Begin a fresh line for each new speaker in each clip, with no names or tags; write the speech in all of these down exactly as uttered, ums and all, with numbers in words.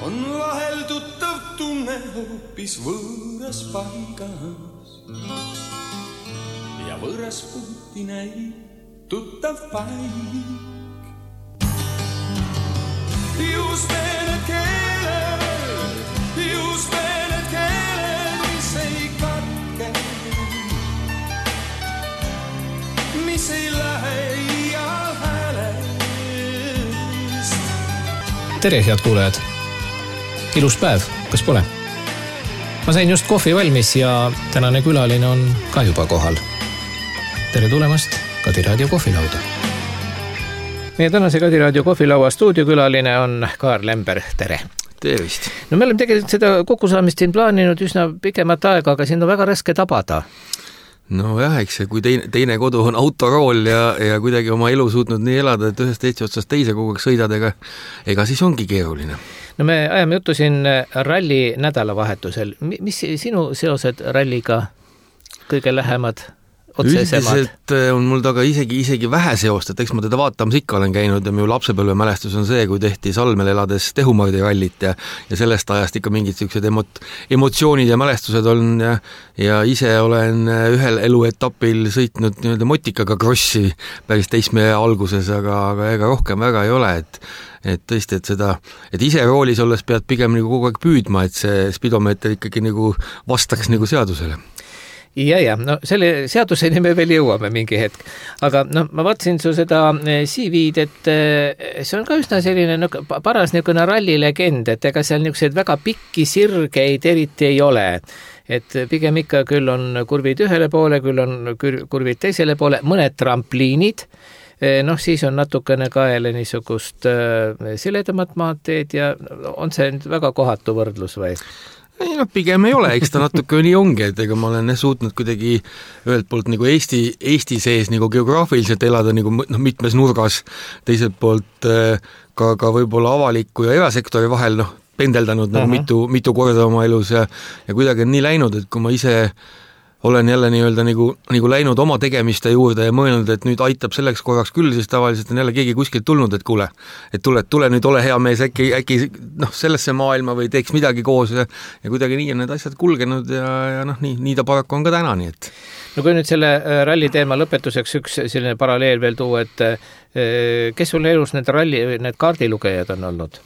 on vahel tuttav tunne hoopis võõras paigas ja võõras puhti näib tuttav paik. Just need keeled, just need keeled, mis ei katke, mis ei lähe ial häälest.
Tere, head kuulajad! Ilus päev, kas pole? Ma sain just kohvi valmis ja tänane külaline on ka juba kohal. Tere tulemast Kadi Raadio kohvilauda. Meie tänase Kadi Raadio kohvilaua stuudiokülaline on Kaar Lember. Tere!
Tervist!
No me oleme tegelikult seda kokkusaamist siin plaaninud üsna pikemat aega, aga siin on väga raske tabada.
No jah, eks see, kui teine, teine kodu on autorool ja, ja kuidagi oma elu suutnud nii elada, et ühest Eesti otsast teise kogu aeg sõidad, ega, ega siis ongi keeruline.
No me ajame juttu siin ralli nädalavahetusel. Mis sinu seosed ralliga kõige lähemad?
Üldiselt on mul taga isegi, isegi vähe seost, et eks ma teda vaatamas ikka olen käinud ja minu lapsepõlve mälestus on see, kui tehti Salmel elades Tehumardi rallit ja, ja sellest ajast ikka mingid sellised emot, emotsioonid ja mälestused on ja, ja ise olen ühel eluetapil sõitnud nii-öelda motikaga krossi päris teisme alguses, aga, aga ega rohkem väga ei ole, et et tõesti, et seda, et ise roolis olles pead pigem nagu kogu aeg püüdma, et see spidomeeter ikkagi nagu vastaks nagu seadusele.
Ja, ja, no selle seaduseni me veel jõuame mingi hetk. Aga no, ma vaatasin su seda C V-d, et see on ka üsna selline no, paras niisugune rallilegend, et ega seal niisuguseid väga pikki sirgeid eriti ei ole. Et pigem ikka küll on kurvid ühele poole, küll on kurvid teisele poole, mõned trampliinid, noh siis on natukene kaele niisugust siledamat maanteed ja on see väga kohatu võrdlus või?
Ei, no pigem ei ole, eks ta natuke nii ongi, et ega ma olen suutnud kuidagi ühelt poolt nagu Eesti, Eesti sees nagu geograafiliselt elada nagu no, mitmes nurgas, teiselt poolt ka, ka võib-olla avaliku ja erasektori vahel noh, pendeldanud nagu uh-huh. mitu, mitu korda oma elus ja, ja kuidagi on nii läinud, et kui ma ise olen jälle nii-öelda nagu, nagu läinud oma tegemiste juurde ja mõelnud, et nüüd aitab selleks korraks küll, siis tavaliselt on jälle keegi kuskilt tulnud, et kuule, et tule, tule nüüd ole hea mees, äkki, äkki noh, sellesse maailma või teeks midagi koos ja, ja kuidagi nii on need asjad kulgenud ja, ja noh, nii, nii ta paraku on ka täna, nii et.
No kui nüüd selle ralli teema lõpetuseks üks selline paralleel veel tuua, et kes sul elus need ralli, need kaardilugejad on olnud?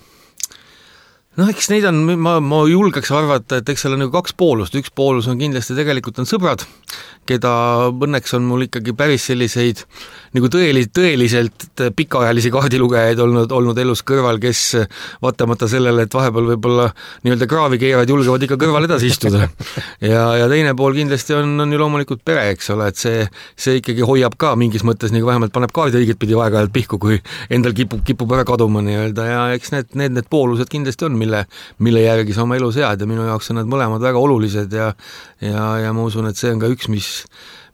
Noh, eks neid on, ma, ma julgeks arvata, et eks seal on nagu kaks poolust. Üks poolus on kindlasti tegelikult on sõbrad, keda õnneks on mul ikkagi päris selliseid nagu tõeli, tõeliselt pikaajalisi kaardilugejaid olnud, olnud elus kõrval, kes vaatamata sellele, et vahepeal võib-olla nii-öelda kraavi keerad, julgevad ikka kõrval edasi istuda. Ja, ja teine pool kindlasti on, on ju loomulikult pere, eks ole, et see, see ikkagi hoiab ka mingis mõttes, nagu vähemalt paneb kaardi õiget pidi aeg-ajalt pihku, kui endal kipub, kipub ära kaduma nii-öelda ja eks need, need, need poolused kindlasti on, mille, mille järgi sa oma elu sead ja minu jaoks on need mõlemad väga olulised ja, ja, ja ma usun, et see on ka üks, mis,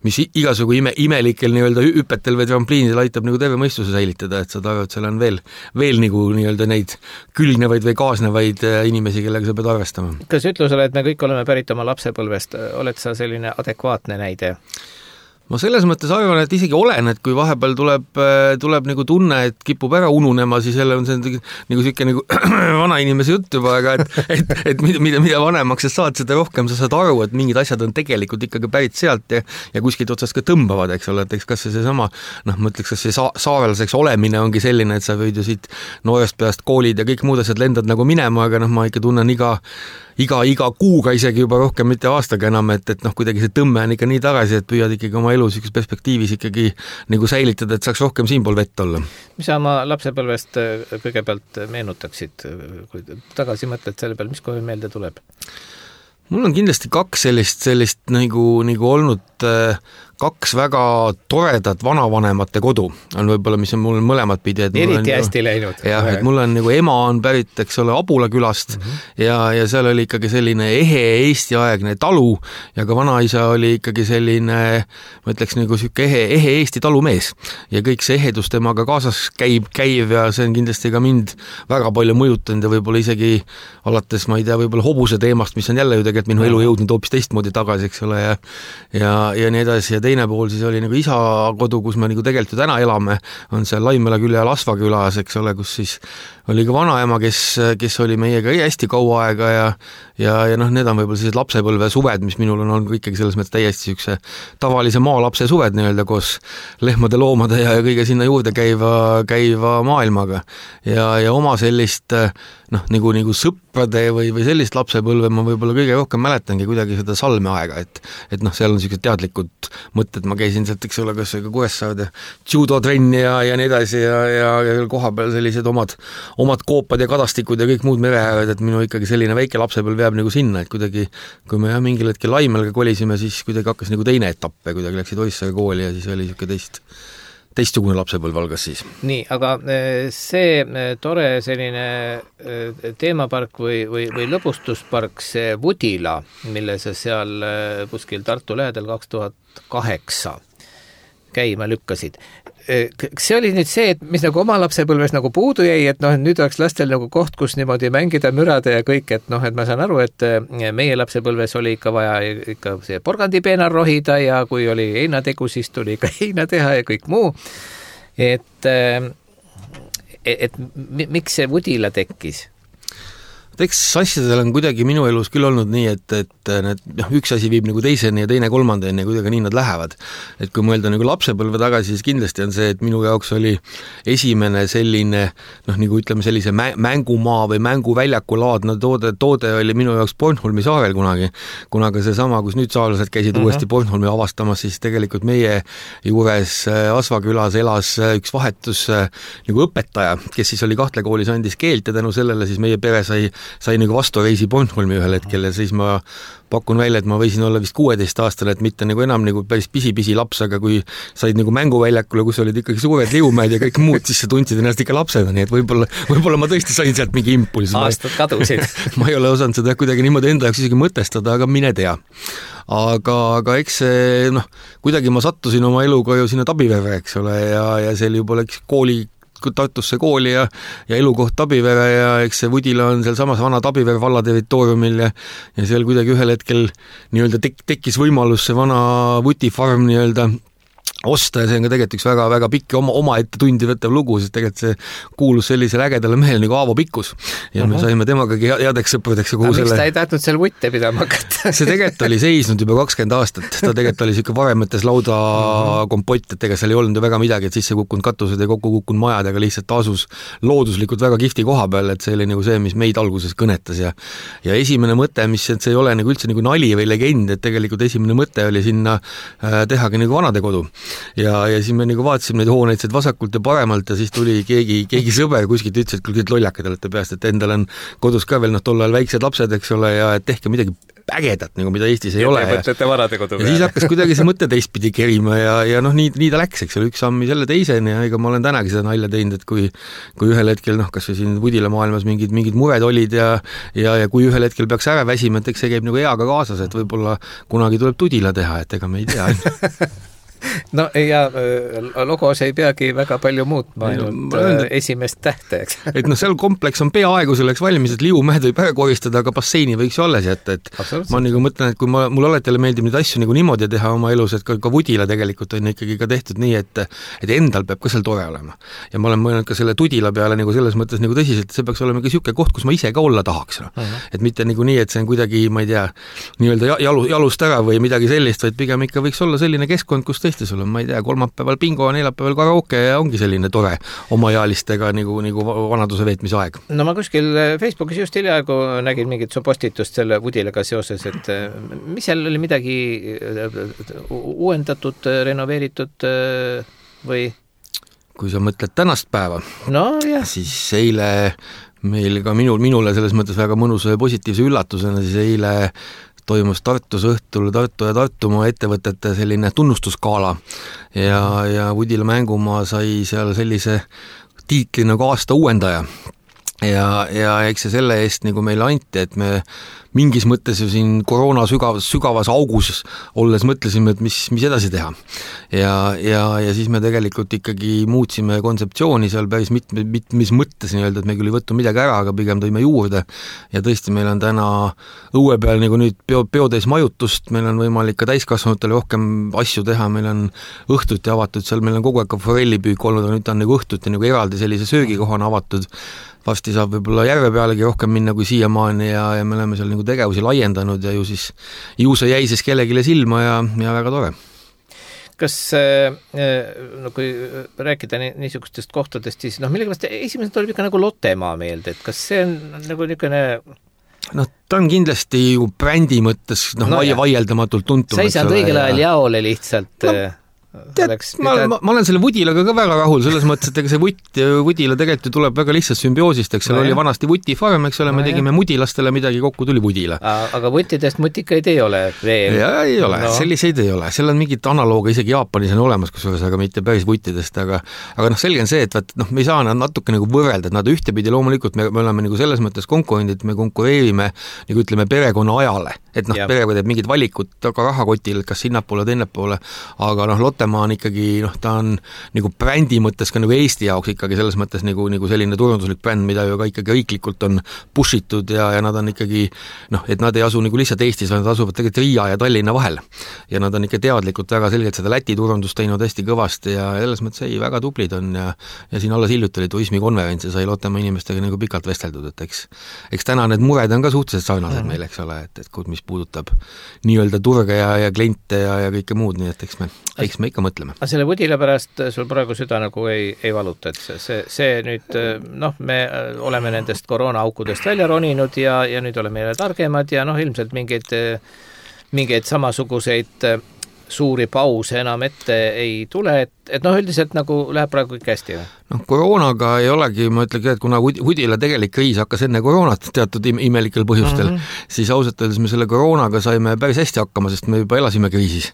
mis igasugu ime, imelikel nii-öelda hüpetel või trampliinidel aitab nagu terve mõistuse säilitada, et sa arvad, et seal on veel, veel nagu nii-öelda neid külgnevaid või kaasnevaid inimesi, kellega sa pead arvestama.
Kas ütlusele, et me kõik oleme pärit oma lapsepõlvest, oled sa selline adekvaatne näide?
Ma selles mõttes arvan, et isegi olen, et kui vahepeal tuleb, tuleb nagu tunne, et kipub ära ununema, siis jälle on see nagu siuke nagu vana inimese jutt juba, aga et, et, et mida, mida, mida vanemaks sa saad, seda rohkem sa saad aru, et mingid asjad on tegelikult ikkagi pärit sealt ja, ja kuskilt otsast ka tõmbavad, eks ole, et eks kas see seesama, noh, ma ütleks, kas see sa- saarelaseks olemine ongi selline, et sa võid ju siit noorest peast koolid ja kõik muud asjad lendad nagu minema, aga noh, ma ikka tunnen iga iga, iga kuuga isegi juba rohkem, mitte aastaga enam, et, et noh, kuidagi see tõmme on ikka nii tagasi, et püüad ikkagi oma elu sellises perspektiivis ikkagi nagu säilitada, et saaks rohkem siinpool vett olla.
Mis sa oma lapsepõlvest kõigepealt meenutaksid, kui tagasi mõtled selle peal, mis kohe meelde tuleb?
Mul on kindlasti kaks sellist, sellist nagu, nagu olnud kaks väga toredat vanavanemate kodu on võib-olla, mis on mul mõlemad pidi.
Eriti hästi ju, läinud.
Jah, et mul on nagu ema on pärit, eks ole, Abula külast mm -hmm. ja, ja seal oli ikkagi selline ehe Eesti-aegne talu ja ka vanaisa oli ikkagi selline, ma ütleks nagu siuke ehe, ehe Eesti talumees ja kõik see ehedus temaga kaasas käib, käiv ja see on kindlasti ka mind väga palju mõjutanud ja võib-olla isegi alates, ma ei tea, võib-olla hobuse teemast, mis on jälle ju tegelikult minu elu jõudnud hoopis teistmoodi tagasi, eks ole, ja, ja, ja nii edasi ja teine pool siis oli nagu isa kodu, kus me nagu tegelikult ju täna elame, on seal Laimela külje Lasva külas, eks ole, kus siis oli ka vanaema, kes, kes oli meiega hästi kaua aega ja ja, ja noh, need on võib-olla sellised lapsepõlve suved, mis minul on olnud ikkagi selles mõttes täiesti niisuguse tavalise maalapse suved nii-öelda koos lehmade, loomade ja, ja kõige sinna juurde käiva, käiva maailmaga. Ja, ja oma sellist noh, nagu, nagu sõprade või, või sellist lapsepõlve ma võib-olla kõige rohkem mäletangi kuidagi seda Salme aega, et et noh, seal on niisugused teadlikud mõtted, ma käisin sealt, eks ole, kas ka Kuressaarde judotrenni ja, ja nii edasi ja, ja, ja koha peal sellised omad, omad koopad ja kadastikud ja kõik muud mereääred, et minu ikkagi selline väike lapsepõlv jääb nagu sinna, et kuidagi kui me jah, mingil hetkel Laimelga kolisime, siis kuidagi hakkas nagu teine etapp ja kuidagi läksid Oissaare kooli ja siis oli niisugune teist teistsugune lapsepõlv algas siis.
Nii, aga see tore selline teemapark või, või, või lõbustuspark, see Vudila, mille sa seal kuskil Tartu lähedal kaks tuhat kaheksa käima lükkasid. See oli nüüd see, et mis nagu oma lapsepõlves nagu puudu jäi, et noh, et nüüd oleks lastel nagu koht, kus niimoodi mängida, mürada ja kõik, et noh, et ma saan aru, et meie lapsepõlves oli ikka vaja ikka see porgandipeenar rohida ja kui oli heinategu, siis tuli ikka heina teha ja kõik muu. Et, et miks see Vudila tekkis?
Eks asjadel on kuidagi minu elus küll olnud nii, et, et need, noh, üks asi viib nagu teiseni ja teine kolmandani ja kuidagi nii nad lähevad. Et kui mõelda nagu lapsepõlve tagasi, siis kindlasti on see, et minu jaoks oli esimene selline, noh, nagu ütleme sellise mängumaa või mänguväljakulaadne toode, toode oli minu jaoks Bornholmi saarel kunagi. Kunaga see sama, kus nüüd saarlased käisid uh-huh. uuesti Bornholmi avastamas, siis tegelikult meie juures Asvakülas elas üks vahetus nagu õpetaja, kes siis oli Kahtle koolis, andis keelt ja tänu sellele siis meie pere sai sai nagu vastu reisi Bornholmi ühel hetkel ja siis ma pakun välja, et ma võisin olla vist kuueteist aastane, et mitte nagu enam nagu päris pisi-pisi laps, aga kui said nagu mänguväljakule, kus olid ikkagi suured liumäed ja kõik muud, siis sa tundsid ennast ikka lapsena, nii et võib-olla, võib-olla ma tõesti sain sealt mingi impulsi.
Aastad kadusid.
ma ei ole osanud seda kuidagi niimoodi enda jaoks isegi mõtestada, aga mine tea. Aga, aga eks see, noh, kuidagi ma sattusin oma eluga ju sinna Tabivere, eks ole, ja, ja see oli juba läks kooli Tartusse kooli ja, ja elukoht Tabivere ja eks see Vudila on seal samas vana Tabivere valla territooriumil ja, ja seal kuidagi ühel hetkel nii-öelda tek, tekkis võimalus see vana Vutifarm nii-öelda osta ja see on ka tegelikult üks väga, väga pikk oma, oma ette tundi võttav lugu, sest tegelikult see kuulus sellisele ägedale mehele nagu Aavo Pikkus ja uh-huh. me saime temagagi headeks sõpradeks.
Aga selle... miks ta ei tahtnud seal vutte pidama hakata?
see tegelikult oli seisnud juba kakskümmend aastat, ta tegelikult oli siuke varemetes lauda uh-huh. kompott, et ega seal ei olnud ju väga midagi, et sisse kukkunud katused ja kokku kukkunud majad, aga lihtsalt asus looduslikult väga kihvti koha peal, et see oli nagu see, mis meid alguses kõnetas ja ja esimene mõte, mis et see ei ole nagu üldse nagu nali või legend, et tegelikult esimene mõte oli sinna äh, tehagi nagu vanadekodu. Ja, ja siis me nagu vaatasime neid hooneid sealt vasakult ja paremalt ja siis tuli keegi, keegi sõber kuskilt ütles, et küll lollakad olete peast, et endal on kodus ka veel noh, tol ajal väiksed lapsed, eks ole, ja et tehke midagi ägedat, nagu mida Eestis ei ja ole. Ja, ja siis hakkas kuidagi see mõte teistpidi kerima ja, ja noh, nii, nii ta läks, eks ole, üks sammi selle teiseni ja ega ma olen tänagi seda nalja teinud, et kui, kui ühel hetkel, noh, kas või siin Vudila maailmas mingid, mingid mured olid ja, ja, ja kui ühel hetkel peaks ära väsima, et eks see käib nagu eaga kaasas, et võib-olla kunagi tuleb Tudila teha, et ega me ei tea.
No ja logos ei peagi väga palju muutma, ainult no, esimest tähte, eks.
et noh, seal kompleks on peaaegu selleks valmis, et liumäed võib ära koristada, aga basseini võiks ju alles jätta, et ma nagu mõtlen, et kui ma, mul alati meeldib neid asju nagu niimoodi teha oma elus, et ka, ka Vudila tegelikult on ikkagi ka tehtud nii, et, et endal peab ka seal tore olema. Ja ma olen mõelnud ka selle Tudila peale nagu selles mõttes nagu tõsiselt, et see peaks olema ka siuke koht, kus ma ise ka olla tahaks. No. Uh-huh. Et mitte nagu nii, et see on kuidagi, ma ei tea, nii-öelda jalu, jalust ära või midagi sellist, vaid pigem ikka võiks olla selline keskkond, kus tõesti sul on, ma ei tea, kolmapäeval bingo, neljapäeval karaoke ja ongi selline tore omaealistega nagu, nagu vanaduse veetmise aeg.
No ma kuskil Facebookis just hiljaaegu nägin mingit su postitust selle Vudilaga seoses, et mis seal oli midagi uuendatud, renoveeritud või? Kui
sa mõtled tänast päeva,
no, jah.
siis eile meil ka minul, minule selles mõttes väga mõnusa ja positiivse üllatusena, siis eile toimus Tartus õhtul Tartu ja Tartumaa ettevõtete selline tunnustusskaala ja, ja Vudila mängumaa sai seal sellise tiitli nagu aasta uuendaja ja, ja eks see selle eest nagu meile anti, et me mingis mõttes ju siin koroona sügavas, sügavas augus olles mõtlesime, et mis, mis edasi teha. Ja, ja, ja siis me tegelikult ikkagi muutsime kontseptsiooni seal päris mitme, mitmes mõttes nii öelda, et me küll ei võttu midagi ära, aga pigem tõime juurde ja tõesti meil on täna õue peal nagu nüüd peo, peotäis majutust, meil on võimalik ka täiskasvanutele rohkem asju teha, meil on õhtuti avatud, seal meil on kogu aeg ka forellipüük olnud, aga nüüd ta on nagu õhtuti nagu eraldi sellise söögikohana avatud, vasti saab võib-olla järve pealegi rohkem minna kui siiamaani ja, ja me oleme seal nagu tegevusi laiendanud ja ju siis ju see jäi siis kellegile silma ja, ja väga tore.
Kas no kui rääkida niisugustest kohtadest, siis noh, millegipärast esimesed tuleb ikka nagu Lottemaa meelde, et kas see on nagu niisugune
noh, ta on kindlasti ju brändi mõttes noh no, vaie, vaieldamatul tuntum.
Sa ei saanud õigel ajal jaole lihtsalt no,
tead, ma, ma, ma olen selle Vudilaga ka väga rahul, selles mõttes, et ega see Vut, Vudila tegelikult ju tuleb väga lihtsalt sümbioosist, eks seal no, oli vanasti Vuti farm, eks ole, no, me tegime jah. Mudilastele midagi, kokku tuli Vudila.
Aga Vutidest mutikaid ei ole veel?
Ja ei ole, no. Selliseid ei ole, seal on mingid analooga isegi Jaapanis on olemas, kusjuures, aga mitte päris Vutidest, aga aga noh, selge on see, et vaat, noh, me ei saa nad natuke nagu võrrelda, et nad ühtepidi loomulikult me, me oleme nagu selles mõttes konkurendid, me konkureerime nagu ütleme perekonna ajale, et noh, perekond teeb mingid valikud taga rahakotil, kas sinnapoole, teinnepoole, aga noh, Lottemaa on ikkagi, noh, ta on nagu brändi mõttes ka nagu Eesti jaoks ikkagi selles mõttes nagu, nagu selline turunduslik bränd, mida ju ka ikkagi riiklikult on pushitud ja, ja nad on ikkagi, noh, et nad ei asu nagu lihtsalt Eestis, nad asuvad tegelikult Riia ja Tallinna vahel. Ja nad on ikka teadlikult väga selgelt seda Läti turundust teinud hästi kõvasti ja selles mõttes ei, väga tublid on ja, ja siin alles hiljuti oli turismikonverents ja sai Lottemaa inimestega nagu pikalt vesteldud, et eks, eks täna need mured on ka suhteliselt sarnased mm. meil, eks ole, et, et mis puudutab nii-öelda turge ja, ja kliente ja, ja kõike muud, nii et eks me, eks me ikka mõtleme.
Aga selle Vudila pärast sul praegu süda nagu ei, ei valuta, et see, see, see nüüd, noh, me oleme nendest koroonaaukudest välja roninud ja, ja nüüd oleme jälle targemad ja noh, ilmselt mingeid, mingeid samasuguseid suuri pause enam ette ei tule, et, et noh, üldiselt nagu läheb praegu kõik hästi või?
noh, koroonaga ei olegi, ma ütlegi, et kuna Vudila tegelik kriis hakkas enne koroonat teatud imelikel põhjustel, mm -hmm. siis ausalt öeldes me selle koroonaga saime päris hästi hakkama, sest me juba elasime kriisis.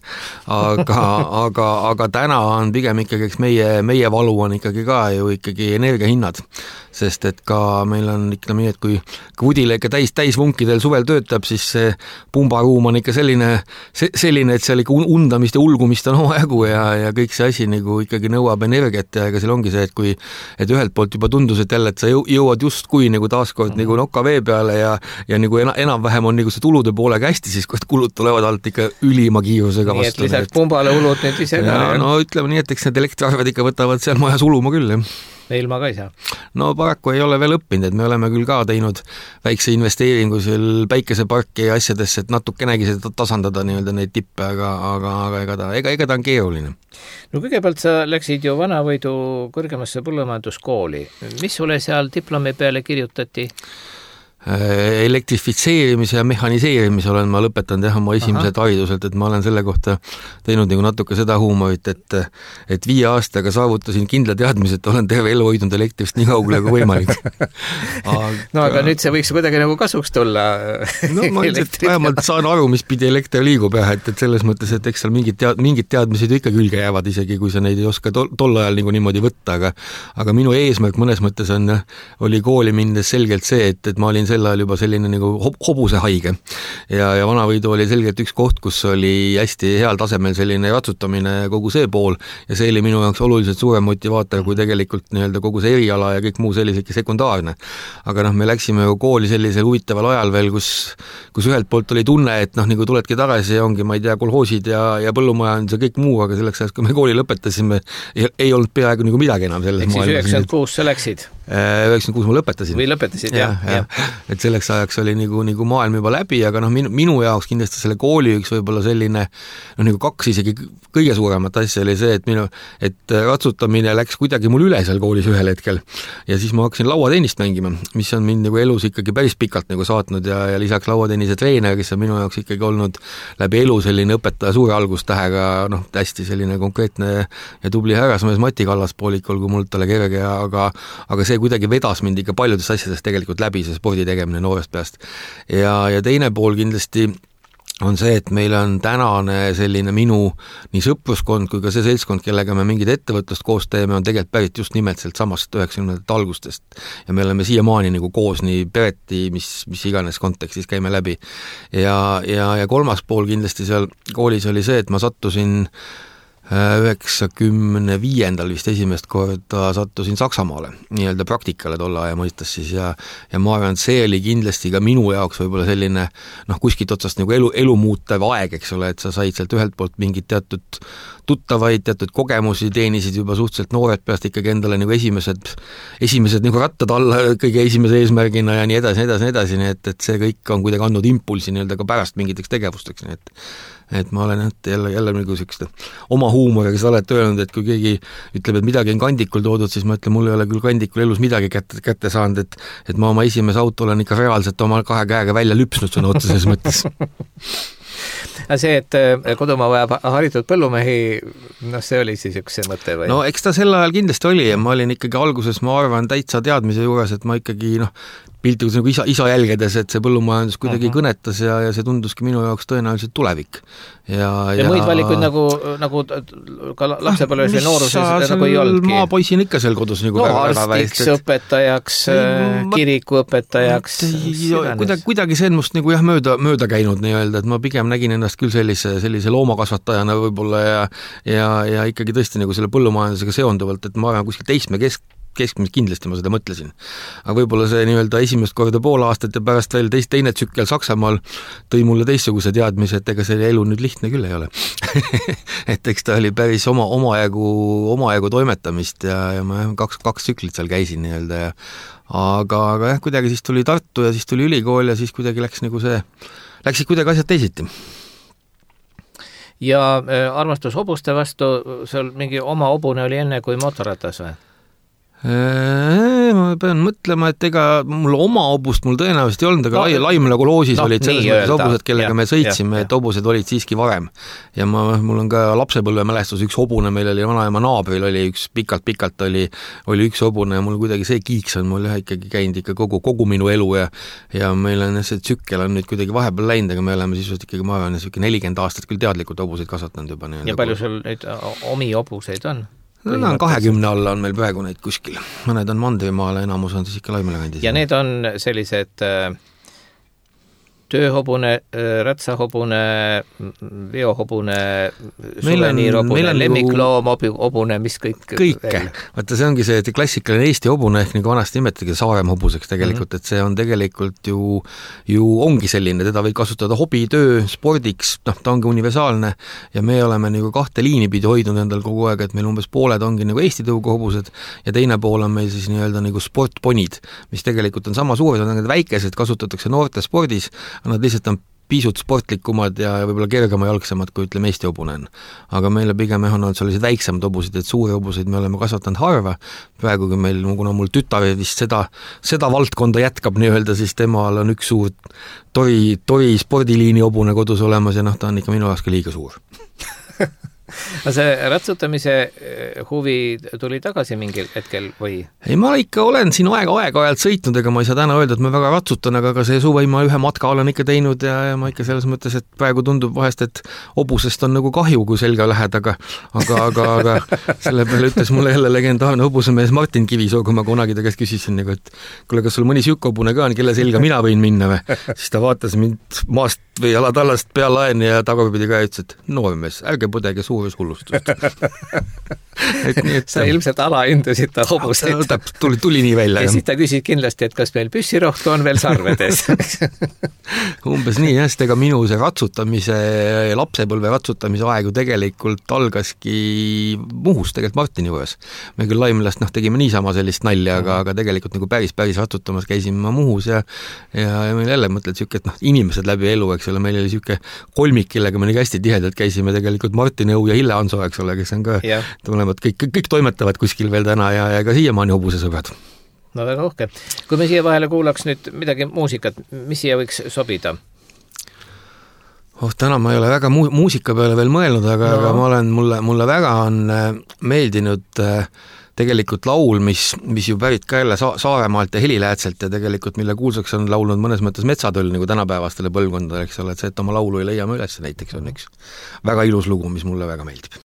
Aga, aga, aga täna on pigem ikkagi, eks meie, meie valu on ikkagi ka ju ikkagi energiahinnad, sest et ka meil on ikka nii, et kui Vudila ikka täis, täisvunkidel suvel töötab, siis see pumbaruum on ikka selline, selline, et seal ikka undamist ja ulgumist on omajagu ja, ja kõik see asi nagu ikkagi nõuab energiat ja ega seal ongi see, et kui et ühelt poolt juba tundus, et jälle, et sa jõuad justkui nagu taaskord nagu noka vee peale ja, ja nagu enam-vähem on nagu see tulude poolega hästi, siis kui kulud tulevad alt ikka ülima kiirusega
vastu. Nii, et lisaks pumbale ulud nüüd ise ka.
No ütleme nii, et eks need elektriarved ikka võtavad seal majas uluma küll, jah.
Ilma ka ei saa.
No paraku ei ole veel õppinud, et me oleme küll ka teinud väikse investeeringu seal päikeseparki ja asjadesse, et natukenegi seda tasandada nii-öelda neid tippe, aga, aga, aga ega ta, ega, ega ta on keeruline.
No kõigepealt sa läksid ju Vanavõidu kõrgemasse põllumajanduskooli. Mis sulle seal diplomi peale kirjutati? Elektrifitseerimise ja mehhaniseerimise olen ma lõpetanud jah oma esimesed hariduselt, et ma olen selle kohta teinud nagu natuke seda huumorit, et, et viie aastaga saavutasin kindla teadmise, et olen terve elu hoidnud elektrist nii kaugele kui võimalik. Aga... no aga nüüd see võiks kuidagi nagu kasuks tulla.
No ma vähemalt saan aru, mis pidi elekter liigub jah, et, et selles mõttes, et eks seal mingid, tead, mingid teadmised ikka külge jäävad isegi, kui sa neid ei oska tol, tol ajal nagu niimoodi võtta, aga, aga minu eesmärk mõnes mõttes on, oli kooli minnes selgelt see, et, et ma olin sel ajal juba selline nagu hobuse haige ja, ja Vanavõidu oli selgelt üks koht, kus oli hästi heal tasemel selline ratsutamine kogu see pool ja see oli minu jaoks oluliselt suurem motivaator kui tegelikult nii-öelda kogu see eriala ja kõik muu sellisegi sekundaarne. Aga noh, me läksime ju kooli sellisel huvitaval ajal veel, kus, kus ühelt poolt oli tunne, et noh, nagu tuledki tagasi ja ongi, ma ei tea, kolhoosid ja, ja põllumajandus ja kõik muu, aga selleks ajast, kui me kooli lõpetasime, ei, ei olnud peaaegu nagu midagi enam selles maailmas.
Eks siis üheksakümmend kuus sa läksid?
üheksakümmend kuus ma lõpetasin.
Või lõpetasid, jah.
Ja, ja. Et selleks ajaks oli nagu, nagu maailm juba läbi, aga noh, minu, minu jaoks kindlasti selle kooli üks võib-olla selline, noh nagu kaks isegi kõige suuremat asja oli see, et minu, et ratsutamine läks kuidagi mul üle seal koolis ühel hetkel ja siis ma hakkasin lauatennist mängima, mis on mind nagu elus ikkagi päris pikalt nagu saatnud ja, ja lisaks lauatennise treener, kes on minu jaoks ikkagi olnud läbi elu selline õpetaja suure algustähega, noh, hästi selline konkreetne ja tubli härrasmees Mati Kallaspoolikul, kui mult talle kerge, aga, aga see kuidagi vedas mind ikka paljudest asjadest tegelikult läbi, see spordi tegemine noorest peast. Ja, ja teine pool kindlasti on see, et meil on tänane selline minu nii sõpruskond kui ka see seltskond, kellega me mingid ettevõtlust koos teeme, on tegelikult pärit just nimelt sealt samast üheksakümnendate algustest. Ja me oleme siiamaani nagu koos nii pereti, mis, mis iganes kontekstis käime läbi. Ja, ja, ja kolmas pool kindlasti seal koolis oli see, et ma sattusin üheksakümne viiendal vist esimest korda sattusin Saksamaale nii-öelda praktikale tolle aja mõistes siis ja, ja ma arvan, et see oli kindlasti ka minu jaoks võib-olla selline noh, kuskilt otsast nagu elu, elu muutev aeg, eks ole, et sa said sealt ühelt poolt mingid teatud tuttavaid, teatud kogemusi, teenisid juba suhteliselt noored peast ikkagi endale nagu esimesed, esimesed nagu rattad alla kõige esimese eesmärgina ja nii edasi, nii edasi, nii edasi, nii et, et see kõik on kuidagi andnud impulsi nii-öelda ka pärast mingiteks tegevusteks, nii et et ma olen jälle, jälle nagu sellist oma huumoriga sa oled öelnud, et kui keegi ütleb, et midagi on kandikul toodud, siis ma ütlen, mul ei ole küll kandikul elus midagi kätte, kätte saanud, et, et ma oma esimese auto olen ikka reaalselt oma kahe käega välja lüpsnud sõna otseses mõttes.
See, et kodumaa vajab haritud põllumehi, noh, see oli siis üks see mõte või?
No eks ta sel ajal kindlasti oli ja ma olin ikkagi alguses, ma arvan, täitsa teadmise juures, et ma ikkagi noh, piltigus nagu isa, isa jälgedes, et see põllumajandus kuidagi uh-huh. kõnetas ja, ja see tunduski minu jaoks tõenäoliselt tulevik. Ja,
ja, ja muid valikuid nagu, nagu ka lapsepõlves või nooruses nagu ei olnudki.
Maapoisin ikka seal kodus nagu
no arstiks, et... õpetajaks, kirikuõpetajaks.
Kuidagi, kuidagi see on must nagu jah, mööda, mööda käinud nii-öelda, et ma pigem nägin ennast küll sellise, sellise loomakasvatajana võib-olla ja, ja, ja ikkagi tõesti nagu selle põllumajandusega seonduvalt, et ma arvan kuskil teisme kesk keskmist kindlasti ma seda mõtlesin. Aga võib-olla see nii-öelda esimest korda pool aastat ja pärast veel teist, teine tsükkel Saksamaal tõi mulle teistsuguse teadmise, et ega see elu nüüd lihtne küll ei ole. et eks ta oli päris oma, omajagu, omajagu toimetamist ja, ja ma kaks, kaks tsüklit seal käisin nii-öelda ja aga, aga jah, kuidagi siis tuli Tartu ja siis tuli ülikool ja siis kuidagi läks nagu see, läksid kuidagi asjad teisiti.
Ja äh, armastus hobuste vastu, seal mingi oma hobune oli enne kui motoratas või?
Ma pean mõtlema, et ega mul oma hobust mul tõenäoliselt ei olnud, aga no, Laimla koloosis no, olid selles mõttes hobused, kellega ja, me sõitsime, ja, et hobused olid siiski varem. Ja ma, mul on ka lapsepõlvemälestus, üks hobune, meil oli vanaema naabril, oli üks pikalt-pikalt oli, oli üks hobune ja mul kuidagi see kiiks on mul jah ikkagi käinud ikka kogu, kogu minu elu ja, ja meil on see tsükkel on nüüd kuidagi vahepeal läinud, aga me oleme siis ikkagi, ma arvan, nelikümmend aastat küll teadlikult hobuseid kasvatanud juba.
Ja palju sul neid omi hobuseid on?
No, on kahekümne alla on meil praegu neid kuskil. Mõned on Mandrimaale, enamus on siis ikka Laimele kandis.
Ja need on sellised äh, tööhobune, rätsahobune, veohobune, suveniirhobune, lemmikloom, hobune, mis kõik
kõike. Vaata, see ongi see, et klassikaline Eesti hobune ehk nagu vanasti nimetagi Saarem hobuseks tegelikult, mm-hmm. et see on tegelikult ju, ju ongi selline, teda võib kasutada hobitöö, spordiks, noh, ta ongi universaalne ja me oleme nagu kahte liini pidi hoidnud endal kogu aeg, et meil umbes pooled ongi nagu Eesti tõuga hobused ja teine pool on meil siis nii-öelda nagu sportponid, mis tegelikult on sama suured, on need väikesed, kasutatakse noorte spordis, nad lihtsalt on pisut sportlikumad ja võib-olla kergema jalgsemad, kui ütleme Eesti hobune on. Aga meile pigem on olnud sellised väiksemad hobusid, et suuri hobuseid me oleme kasvatanud harva. Praegu, kui meil, kuna mul tütar vist seda, seda valdkonda jätkab nii-öelda, siis temal on üks suur tori, tori spordiliini hobune kodus olemas ja noh, ta on ikka minu jaoks ka liiga suur.
Aga see ratsutamise huvi tuli tagasi mingil hetkel või?
Ei, ma ikka olen siin aega aega-ajalt sõitnud, ega ma ei saa täna öelda, et ma väga ratsutan, aga ka see suve ma ühe matka olen ikka teinud ja, ja ma ikka selles mõttes, et praegu tundub vahest, et hobusest on nagu kahju, kui selga lähed, aga aga, aga, aga selle peale ütles mulle jälle legendaarne hobusemees Martin Kivisoo, kui ma kunagi ta käest küsisin, nagu, et kuule, kas sul mõni siuke hobune ka on, kelle selga mina võin minna või? Siis ta vaatas mind maast või jalatallast pealaeni ja tagurpidi ka ütles, et noormees, ärge põdege suures hullustust. et nii, et
sa ilmselt alahindasid ta hobuseid.
Tuli, tuli nii välja.
Ja siis ta küsid kindlasti, et kas meil püssirohtu on veel sarvedes.
Umbes nii, jah, ega minu see ratsutamise, lapsepõlve ratsutamise aegu tegelikult algaski Muhus tegelikult Martini juures. Me küll Laimlast noh, tegime niisama sellist nalja, aga, aga tegelikult nagu päris, päris ratsutamas käisime ma Muhus ja, ja, ja meil jälle mõtled siuke, et noh, inimesed läbi elu, eks ole, meil oli siuke kolmik, kellega me nii hästi tihedalt käisime tegelikult Martin Õu ja Hille Hanso, eks ole, kes on ka yeah. tulevad, kõik, kõik, kõik toimetavad kuskil veel täna ja, ja ka siiamaani hobusesõbrad.
No väga uhke. Kui me siia vahele kuulaks nüüd midagi muusikat, mis siia võiks sobida?
Oh, täna ma ei ole väga mu- muusika peale veel mõelnud, aga, no. aga ma olen, mulle, mulle väga on meeldinud tegelikult laul, mis, mis ju pärit ka jälle Sa- Saaremaalt ja Heliläätselt ja tegelikult mille kuulsaks on laulnud mõnes mõttes metsatöll nagu tänapäevastele põlvkondadele, eks ole, et see, et oma laulu ei leia me üles näiteks on üks väga ilus lugu, mis mulle väga meeldib.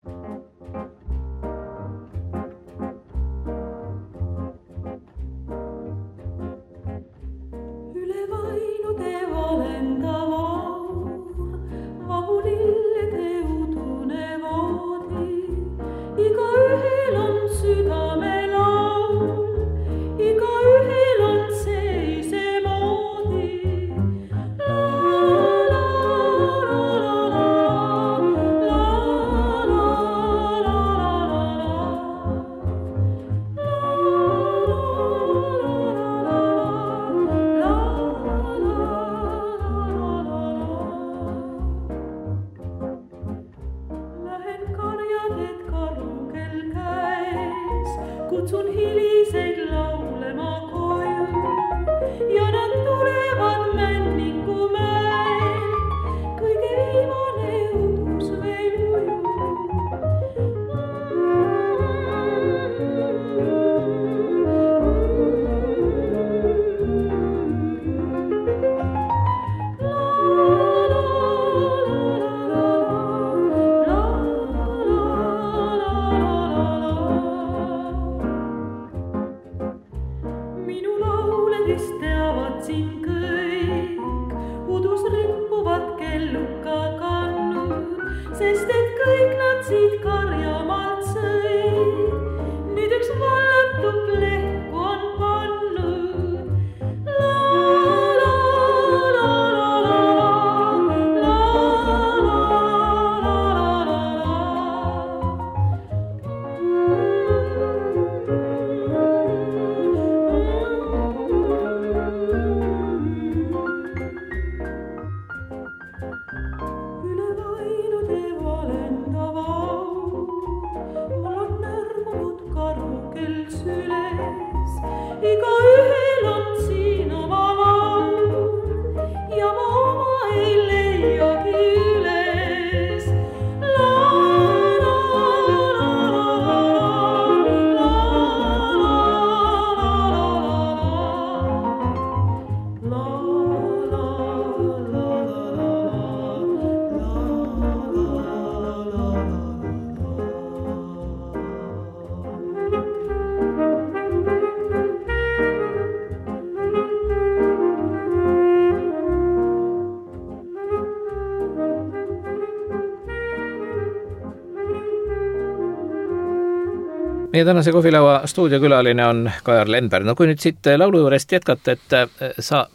Meie tänase kohvilaua stuudiokülaline on Kajar Lendberg. No kui nüüd siit laulu juurest jätkata, et sa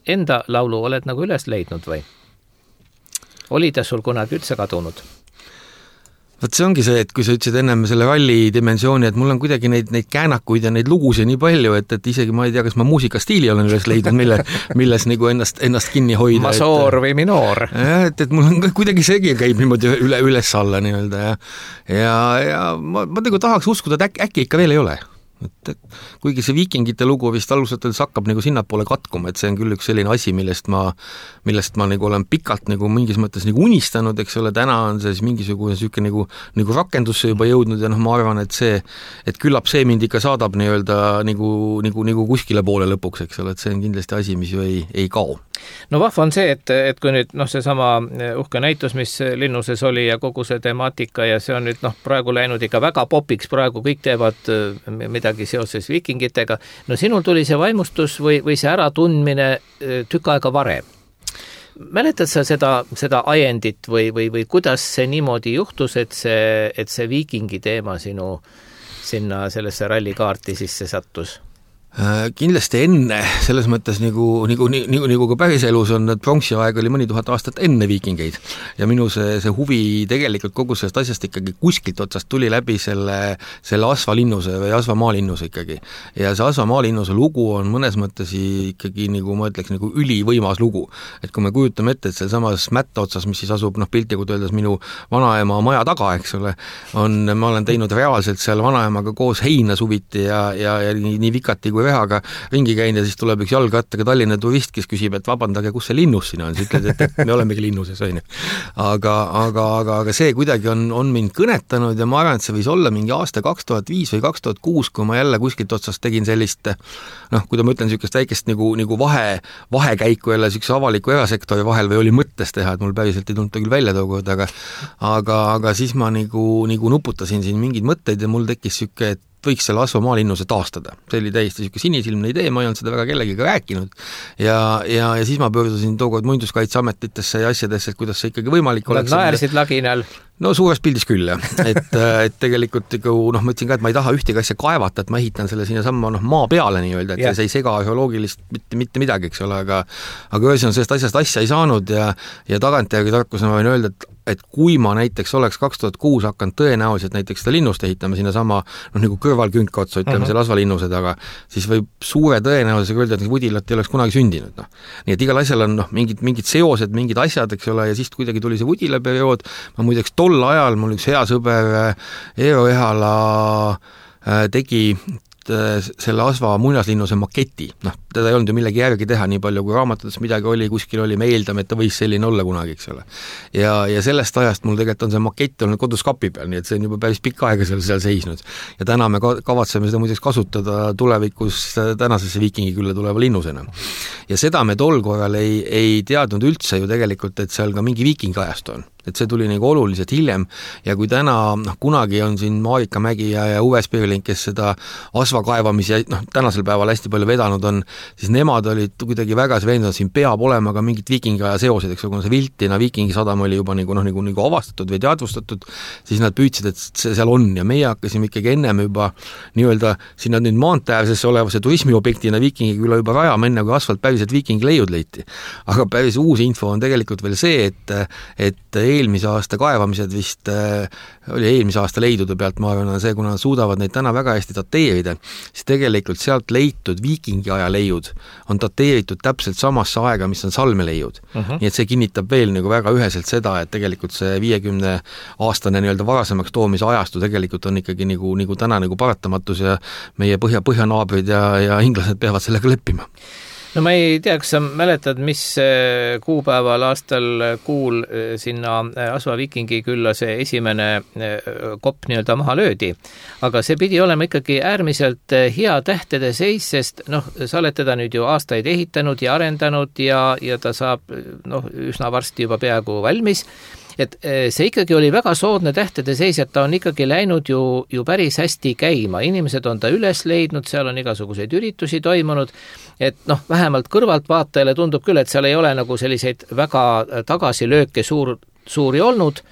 enda laulu oled nagu üles leidnud või? Oli ta sul kunagi üldse kadunud?
Võt see ongi see, et kui sa ütlesid ennem selle ralli dimensiooni, et mul on kuidagi neid, neid käänakuid ja neid lugusid nii palju, et, et isegi ma ei tea, kas ma muusikastiili olen üles leidnud, mille, milles nagu ennast, ennast kinni hoida.
Masoor või minoor.
Et, et mul on kuidagi seegi käib niimoodi üle, üles alla nii-öelda ja, ja, ja ma, ma nagu tahaks uskuda, et äkki, äkki ikka veel ei ole. Et, et kuigi see viikingite lugu vist alusatades hakkab nagu sinnapoole katkuma, et see on küll üks selline asi, millest ma, millest ma nagu olen pikalt nagu mingis mõttes nagu unistanud, eks ole, täna on see siis mingisugune süke nagu, nagu rakendusse juba jõudnud ja noh, ma arvan, et see, et küllap see mind ikka saadab nii-öelda nagu, nagu, nagu kuskile poole lõpuks, eks ole, et see on kindlasti asi, mis ju ei, ei kao.
No vahva on see, et, et kui nüüd noh, see sama uhke näitus, mis Linnuses oli ja kogu see temaatika ja see on nüüd noh, praegu läinud ikka väga popiks, praegu kõik teevad midagi seoses viikingitega. No sinul tuli see vaimustus või, või see äratundmine tükk aega varem. Mäletad sa seda, seda ajendit või, või, või kuidas see niimoodi juhtus, et see, et see viikingi teema sinu sinna sellesse rallikaarti sisse sattus?
Kindlasti enne, selles mõttes nagu, nagu, nagu, nagu ka päriselus on, et pronksiaeg oli mõni tuhat aastat enne viikingeid ja minu see, see huvi tegelikult kogu sellest asjast ikkagi kuskilt otsast tuli läbi selle, selle Asvalinnuse või Asvamaalinnuse ikkagi. Ja see Asvamaalinnuse lugu on mõnes mõttes ikkagi, nagu ma ütleks, nagu ülivõimas lugu. Et kui me kujutame ette, et see samas mätta otsas, mis siis asub, noh, piltlikult öeldes minu vanaema maja taga, eks ole, on, ma olen teinud reaalselt seal vanaemaga koos heina suviti ja, ja, ja nii, nii vikati kui rehaga ringi käin ja siis tuleb üks jalgrattaga Tallinna turist, kes küsib, et vabandage, kus see linnus siin on, siis ütled, et, et me olemegi linnuses, on ju. Aga, aga, aga, aga see kuidagi on, on mind kõnetanud ja ma arvan, et see võis olla mingi aasta kaks tuhat viis või kaks tuhat kuus, kui ma jälle kuskilt otsast tegin sellist, noh, kui ta mõtlen niisugust väikest nagu, nagu vahe, vahekäiku jälle niisuguse avaliku erasektori vahel või oli mõttes teha, et mul päriselt ei tulnud ta küll välja tookord, aga aga, aga siis ma nagu, nagu nuputasin siin mingeid mõtteid ja mul tekkis niisugune, et võiks selle Asva maalinnuse taastada. See oli täiesti niisugune sinisilmne idee, ma ei olnud seda väga kellegiga rääkinud ja, ja, ja siis ma pöördusin tookord muinsuskaitseametitesse ja asjadesse, et kuidas see ikkagi võimalik
oleks. Nad naersid laginal.
No suures pildis küll, jah. Et, et tegelikult noh, ma ütlesin ka, et ma ei taha ühtegi asja kaevata, et ma ehitan selle sinna samma noh, maa peale nii-öelda, et yeah. see ei sega arheoloogilist mitte, mitte midagi, eks ole, aga aga ühes on sellest asjast asja ei saanud ja, ja tagantjärgi tarkusena võin öelda, et et kui ma näiteks oleks kaks tuhat kuus hakanud tõenäoliselt näiteks seda linnust ehitama sinna sama, noh nagu kõrvalkünka otsa, ütleme uh-huh. selle asvalinnuse taga, siis võib suure tõenäosusega öelda, et vudilat ei oleks kunagi sündinud. No. Nii et igal asjal on noh, mingid, mingid seosed, mingid asjad, eks ole, ja siis kuidagi tuli see vudila periood, ma muideks tol ajal mul üks hea sõber Eero Ehala tegi selle Asva muinaslinnuse maketi, noh, teda ei olnud ju millegi järgi teha, nii palju kui raamatutes midagi oli, kuskil oli, me eeldame, et ta võis selline olla kunagi, eks ole. Ja, ja sellest ajast mul tegelikult on see makett olnud kodus kapi peal, nii et see on juba päris pikka aega seal, seal seisnud. Ja täna me kavatseme seda muideks kasutada tulevikus tänasesse viikingi külla tuleva linnusena. Ja seda me tol korral ei, ei teadnud üldse ju tegelikult, et seal ka mingi viikingi ajast on. Et see tuli nagu oluliselt hiljem ja kui täna, noh, kunagi on siin Marika Mägi ja, ja Uwe Spirling, kes seda Asva kaevamise, noh, tänasel päeval hästi palju vedanud on, siis nemad olid kuidagi väga veendunud, siin peab olema ka mingid viikingi aja seosed, eks kuna see Viltina viikingi sadam oli juba nagu, noh, nagu, nagu avastatud või teadvustatud, siis nad püüdsid, et see seal on ja meie hakkasime ikkagi ennem juba nii-öelda sinna nüüd maanteäärsesse olevasse turismiobjektina viikingi külla juba rajama, enne kui asfalt päriselt viikingi leiud leiti. Aga päris uus info on tegelikult veel see, et, et eelmise aasta kaevamised vist äh, oli eelmise aasta leidude pealt, ma arvan, see, kuna nad suudavad neid täna väga hästi dateerida, siis tegelikult sealt leitud viikingi aja leiud on dateeritud täpselt samasse aega, mis on salmeleiud. Uh-huh. Nii et see kinnitab veel nagu väga üheselt seda, et tegelikult see viiekümne aastane nii-öelda varasemaks toomise ajastu tegelikult on ikkagi nagu, nagu täna nagu paratamatus ja meie põhja, põhjanaabrid ja, ja inglased peavad sellega leppima.
No ma ei tea, kas sa mäletad, mis kuupäeval aastal kuul sinna Asva viikingi külla see esimene kopp nii-öelda maha löödi. Aga see pidi olema ikkagi äärmiselt hea tähtede seis, sest noh, sa oled teda nüüd ju aastaid ehitanud ja arendanud ja, ja ta saab noh, üsna varsti juba peaaegu valmis. Et see ikkagi oli väga soodne tähtede seis, et ta on ikkagi läinud ju, ju päris hästi käima. Inimesed on ta üles leidnud, seal on igasuguseid üritusi toimunud, et noh, vähemalt kõrvaltvaatajale tundub küll, et seal ei ole nagu selliseid väga tagasilööke suur, suuri olnud.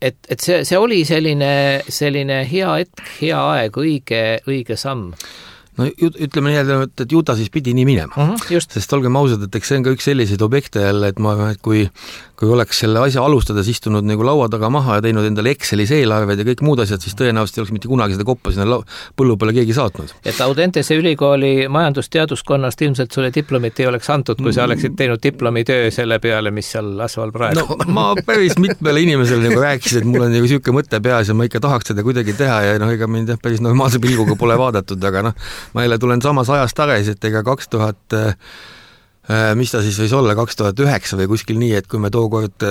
Et, et see, see oli selline, selline hea hetk, hea aeg, õige, õige samm.
No ütleme nii, et ju ta siis pidi nii minema. Uh-huh, just. Sest olgem ausad, et eks see on ka üks selliseid objekte jälle, et ma arvan, et kui, kui oleks selle asja alustades istunud nagu laua taga maha ja teinud endale Excelis eelarved ja kõik muud asjad, siis tõenäoliselt ei oleks mitte kunagi seda koppa sinna põllu peale keegi saatnud.
Et Audentese ülikooli majandusteaduskonnast ilmselt sulle diplomit ei oleks antud, kui sa oleksid teinud diplomitöö selle peale, mis seal Asval praegu.
No, ma päris mitmele inimesele nagu rääkisin, et mul on nagu siuke mõte peas ja ma ikka tahaks seda kuidagi teha ja noh, ega mind päris normaalse pilguga pole vaadatud, aga noh, ma jälle tulen samas ajas tagasi, et ega kaks tuhat, mis ta siis võis olla, kaks tuhat üheksa või kuskil nii, et kui me tookord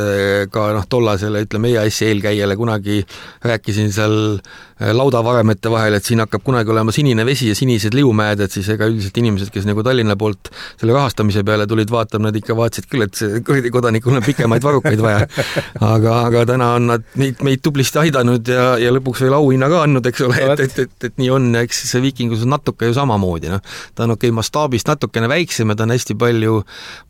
ka noh, tollasele, ütleme, E A S-i eelkäijale kunagi rääkisin seal laudavaremete vahel, et siin hakkab kunagi olema sinine vesi ja sinised liumäed, et siis ega üldiselt inimesed, kes nagu Tallinna poolt selle rahastamise peale tulid vaatama, nad ikka vaatasid küll, et see kuradi kodanikul on pikemaid varukaid vaja. Aga, aga täna on nad meid, meid tublisti aidanud ja, ja lõpuks veel auhinna ka andnud, eks ole, et, et, et, et nii on, eks see viikingus on natuke ju samamoodi. No. Ta on okei, mastaabist natukene väiksem ja ta on hästi palju,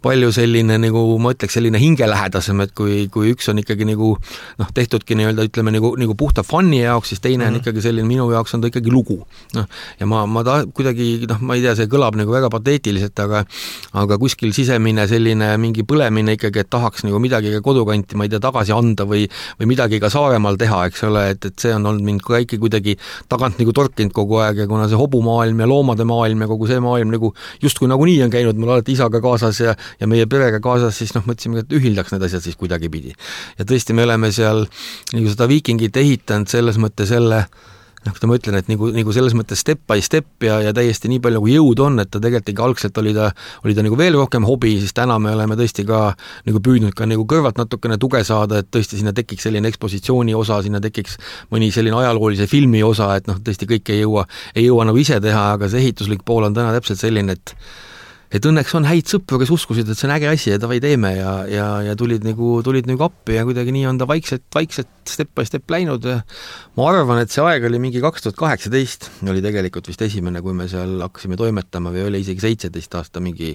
palju selline, nagu ma ütleks, selline hingelähedasem, et kui, kui üks on ikkagi nagu, noh, tehtudki nii-öelda, ütleme, nagu, nagu puhta fanni jaoks, siis teine mm-hmm. on ikkagi selline, minu jaoks on ta ikkagi lugu. No, ja ma, ma ta kuidagi, noh, ma ei tea, see kõlab nagu väga pateetiliselt, aga, aga kuskil sisemine selline mingi põlemine ikkagi, et tahaks nagu midagi ka kodukanti, ma ei tea, tagasi anda või, või midagi ka Saaremaal teha, eks ole, et, et see on olnud mind ka ikka kuidagi tagant nagu torkinud kogu aeg ja kuna see hobumaailm ja loomade maailm ja kogu see maailm nagu justkui nagu nii on käinud, mul alati isaga kaasas ja, ja meie perega kaasas, siis noh, mõtlesime, et ühildaks need asjad siis kuidagi pidi. Ja tõesti, me oleme seal nagu seda viikingit ehitanud selles mõtte selle noh, kui ma ütlen, et nagu, nagu selles mõttes step by step ja, ja täiesti nii palju nagu jõud on, et ta tegelikult ikka algselt oli ta, oli ta nagu veel rohkem hobi, siis täna me oleme tõesti ka nagu püüdnud ka nagu kõrvalt natukene tuge saada, et tõesti sinna tekiks selline ekspositsiooni osa, sinna tekiks mõni selline ajaloolise filmi osa, et noh, tõesti kõik ei jõua, ei jõua nagu ise teha, aga see ehituslik pool on täna täpselt selline, et et õnneks on häid sõpru, kes uskusid, et see on äge asi ja davai teeme ja, ja, ja tulid nagu, tulid nagu appi ja kuidagi nii on ta vaikselt, vaikselt step by step läinud ja ma arvan, et see aeg oli mingi kaks tuhat kaheksateist, oli tegelikult vist esimene, kui me seal hakkasime toimetama või oli isegi seitseteist aasta mingi,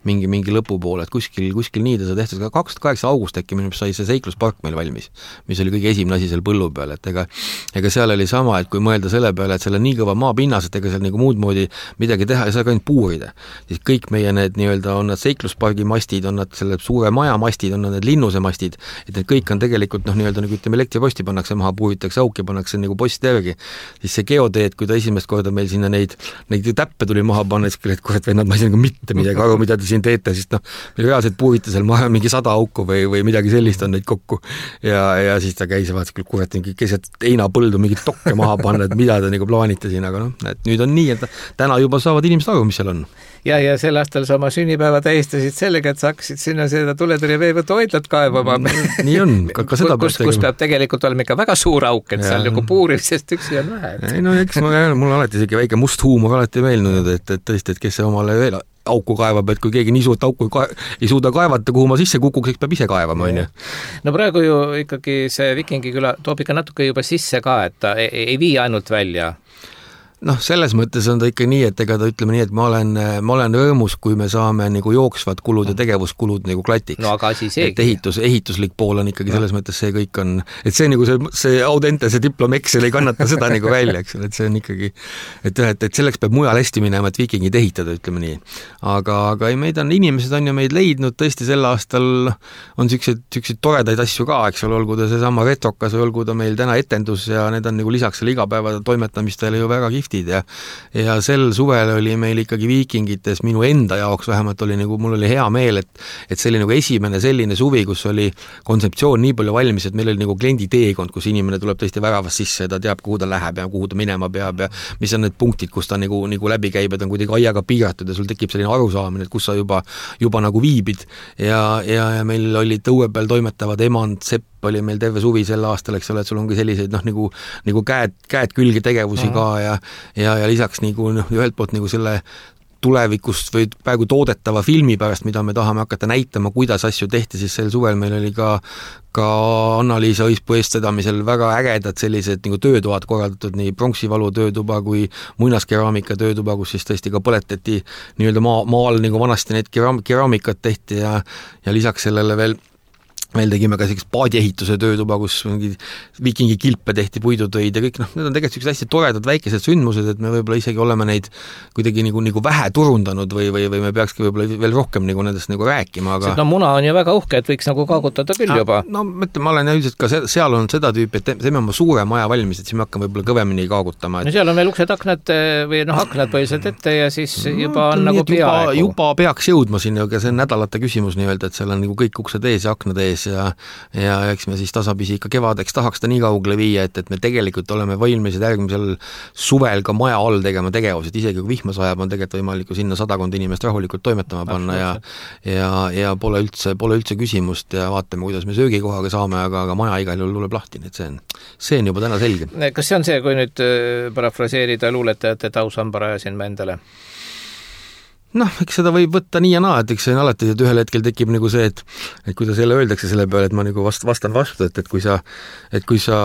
mingi, mingi lõpupoole, et kuskil, kuskil nii ta sai tehtud, ka kaks tuhat kaheksa august äkki minu sai see seikluspark meil valmis, mis oli kõige esimene asi seal põllu peal, et ega, ega seal oli sama, et kui mõelda selle peale, et seal on nii kõva maapinnas, et ega seal nagu muud moodi midagi teha ei saa ka ainult puurida, siis kõik meie need nii-öelda on nad seikluspargi mastid, on nad selle suure maja mastid, on nad need linnuse mastid, et need kõik on tegelikult noh, nii-öelda nagu ütleme, elektriposti pannakse maha, puuritakse auki, pannakse nagu post järgi, siis see geoteed, kui ta esimest korda meil sinna neid, neid täppe tuli maha panna, siis et kurat vennad, ma ei saa nagu mitte midagi aru, mida te siin teete, siis noh, meil reaalselt puurite seal maha mingi sada auku või, või midagi sellist on neid kokku ja, ja siis ta käis ja vaatas küll kurat, mingi keset heinapõldu mingit tokke maha panna, et mida te nagu plaanite siin, aga noh, et nüüd on nii, et täna juba saavad inimesed aru, mis seal on.
Ja, ja sel aastal sa oma sünnipäeva tähistasid sellega, et sa hakkasid sinna seda tuletõrje veevõtu hoidlat kaevama.
Nii on, ka, ka seda
kus, kus peab tegelikult olema ikka väga suur auk, et ja. Seal nagu puurimisest üksi on vähe.
Ei, no eks ma, mul alati isegi väike must huumor alati meelnud, et, et tõesti, et kes see omale veel auku kaevab, et kui keegi nii suurt auku ka- ei suuda kaevata, kuhu ma sisse kukuks, eks peab ise kaevama, on ju.
No praegu ju ikkagi see Vikingiküla toob ikka natuke juba sisse ka, et ta ei, ei vii ainult välja.
Noh, selles mõttes on ta ikka nii, et ega ta ütleme nii, et ma olen, ma olen rõõmus, kui me saame nagu jooksvad kulud ja tegevuskulud nagu klatiks.
No aga siis ei.
Et ehitus, ehituslik pool on ikkagi selles mõttes see kõik on, et see nagu see, see audente, see diplom Excel ei kannata seda nagu välja, eks ole, et see on ikkagi, et, et, et selleks peab mujal hästi minema, et vikingid ehitada, ütleme nii. Aga, aga ei, meid on, inimesed on ju meid leidnud, tõesti sel aastal on siukseid, siukseid toredaid asju ka, eks ole, olgu ta seesama retrokas või olgu ta meil täna etendus ja need on nagu lisaks selle igapäeva toimetamistele ju väga kihvt ja, ja sel suvel oli meil ikkagi Viikingites minu enda jaoks vähemalt oli nagu, mul oli hea meel, et, et see oli nagu esimene selline suvi, kus oli kontseptsioon nii palju valmis, et meil oli nagu kliendi teekond, kus inimene tuleb tõesti väravast sisse ja ta teab, kuhu ta läheb ja kuhu ta minema peab ja mis on need punktid, kus ta nagu, nagu läbi käib, et on kuidagi aiaga piiratud ja sul tekib selline arusaamine, et kus sa juba, juba nagu viibid ja, ja, ja meil olid õue peal toimetavad Emand, Sepp oli meil terve suvi sel aastal, eks ole, et sul ongi selliseid noh, nagu, nagu käed, käed külge tegevusi mm. ka ja, ja, ja lisaks nagu noh, ühelt poolt nagu selle tulevikust või praegu toodetava filmi pärast, mida me tahame hakata näitama, kuidas asju tehti, siis sel suvel meil oli ka ka Anna-Liisa Õispuu eestvedamisel väga ägedad sellised nagu töötoad korraldatud, nii pronksivalu töötuba kui muinaskeraamika töötuba, kus siis tõesti ka põletati nii-öelda maa, maal nagu vanasti need keraam, keraamikat tehti ja, ja lisaks sellele veel meil tegime ka sellist paadiehituse töötuba, kus mingi viikingi kilpe tehti, puidutöid ja kõik, noh, need on tegelikult sellised hästi toredad väikesed sündmused, et me võib-olla isegi oleme neid kuidagi nagu, nagu vähe turundanud või, või, või me peakski võib-olla veel rohkem nagu nendest nagu rääkima, aga
no muna on ju väga uhke, et võiks nagu kaagutada küll juba.
No mõtle, ma olen üldiselt ka seal on seda tüüpi, et teeme oma suure maja valmis, et siis me hakkame võib-olla kõvemini kaagutama. Et...
no seal on veel uksed, aknad või noh, aknad põhiliselt ette ja siis juba no, on nagu
peaaegu. Juba, juba peaks jõudma sinna, aga see on nädalate küsimus nii-öelda, et seal on nagu kõik uksed ees ja aknad ees ja, ja eks me siis tasapisi ikka kevadeks tahaks ta nii kaugele viia, et, et me tegelikult oleme valmised järgmisel suvel ka maja all tegema tegevused, isegi kui vihma sajab, on tegelikult võimalik sinna sadakond inimest rahulikult toimetama panna ja, ja, ja pole üldse, pole üldse küsimust ja vaatame, kuidas me söögikohaga saame, aga, aga maja igal juhul tuleb lahti, nii et see on, see on juba täna selge.
Kas see on see, kui nüüd parafraseerida luuletajate tausambara ajasin ma endale?
Noh, eks seda võib võtta nii ja naa, et eks see on alati, et ühel hetkel tekib nagu see, et et kuidas jälle öeldakse selle peale, et ma nagu vast, vastan vastu, et, et kui sa et kui sa,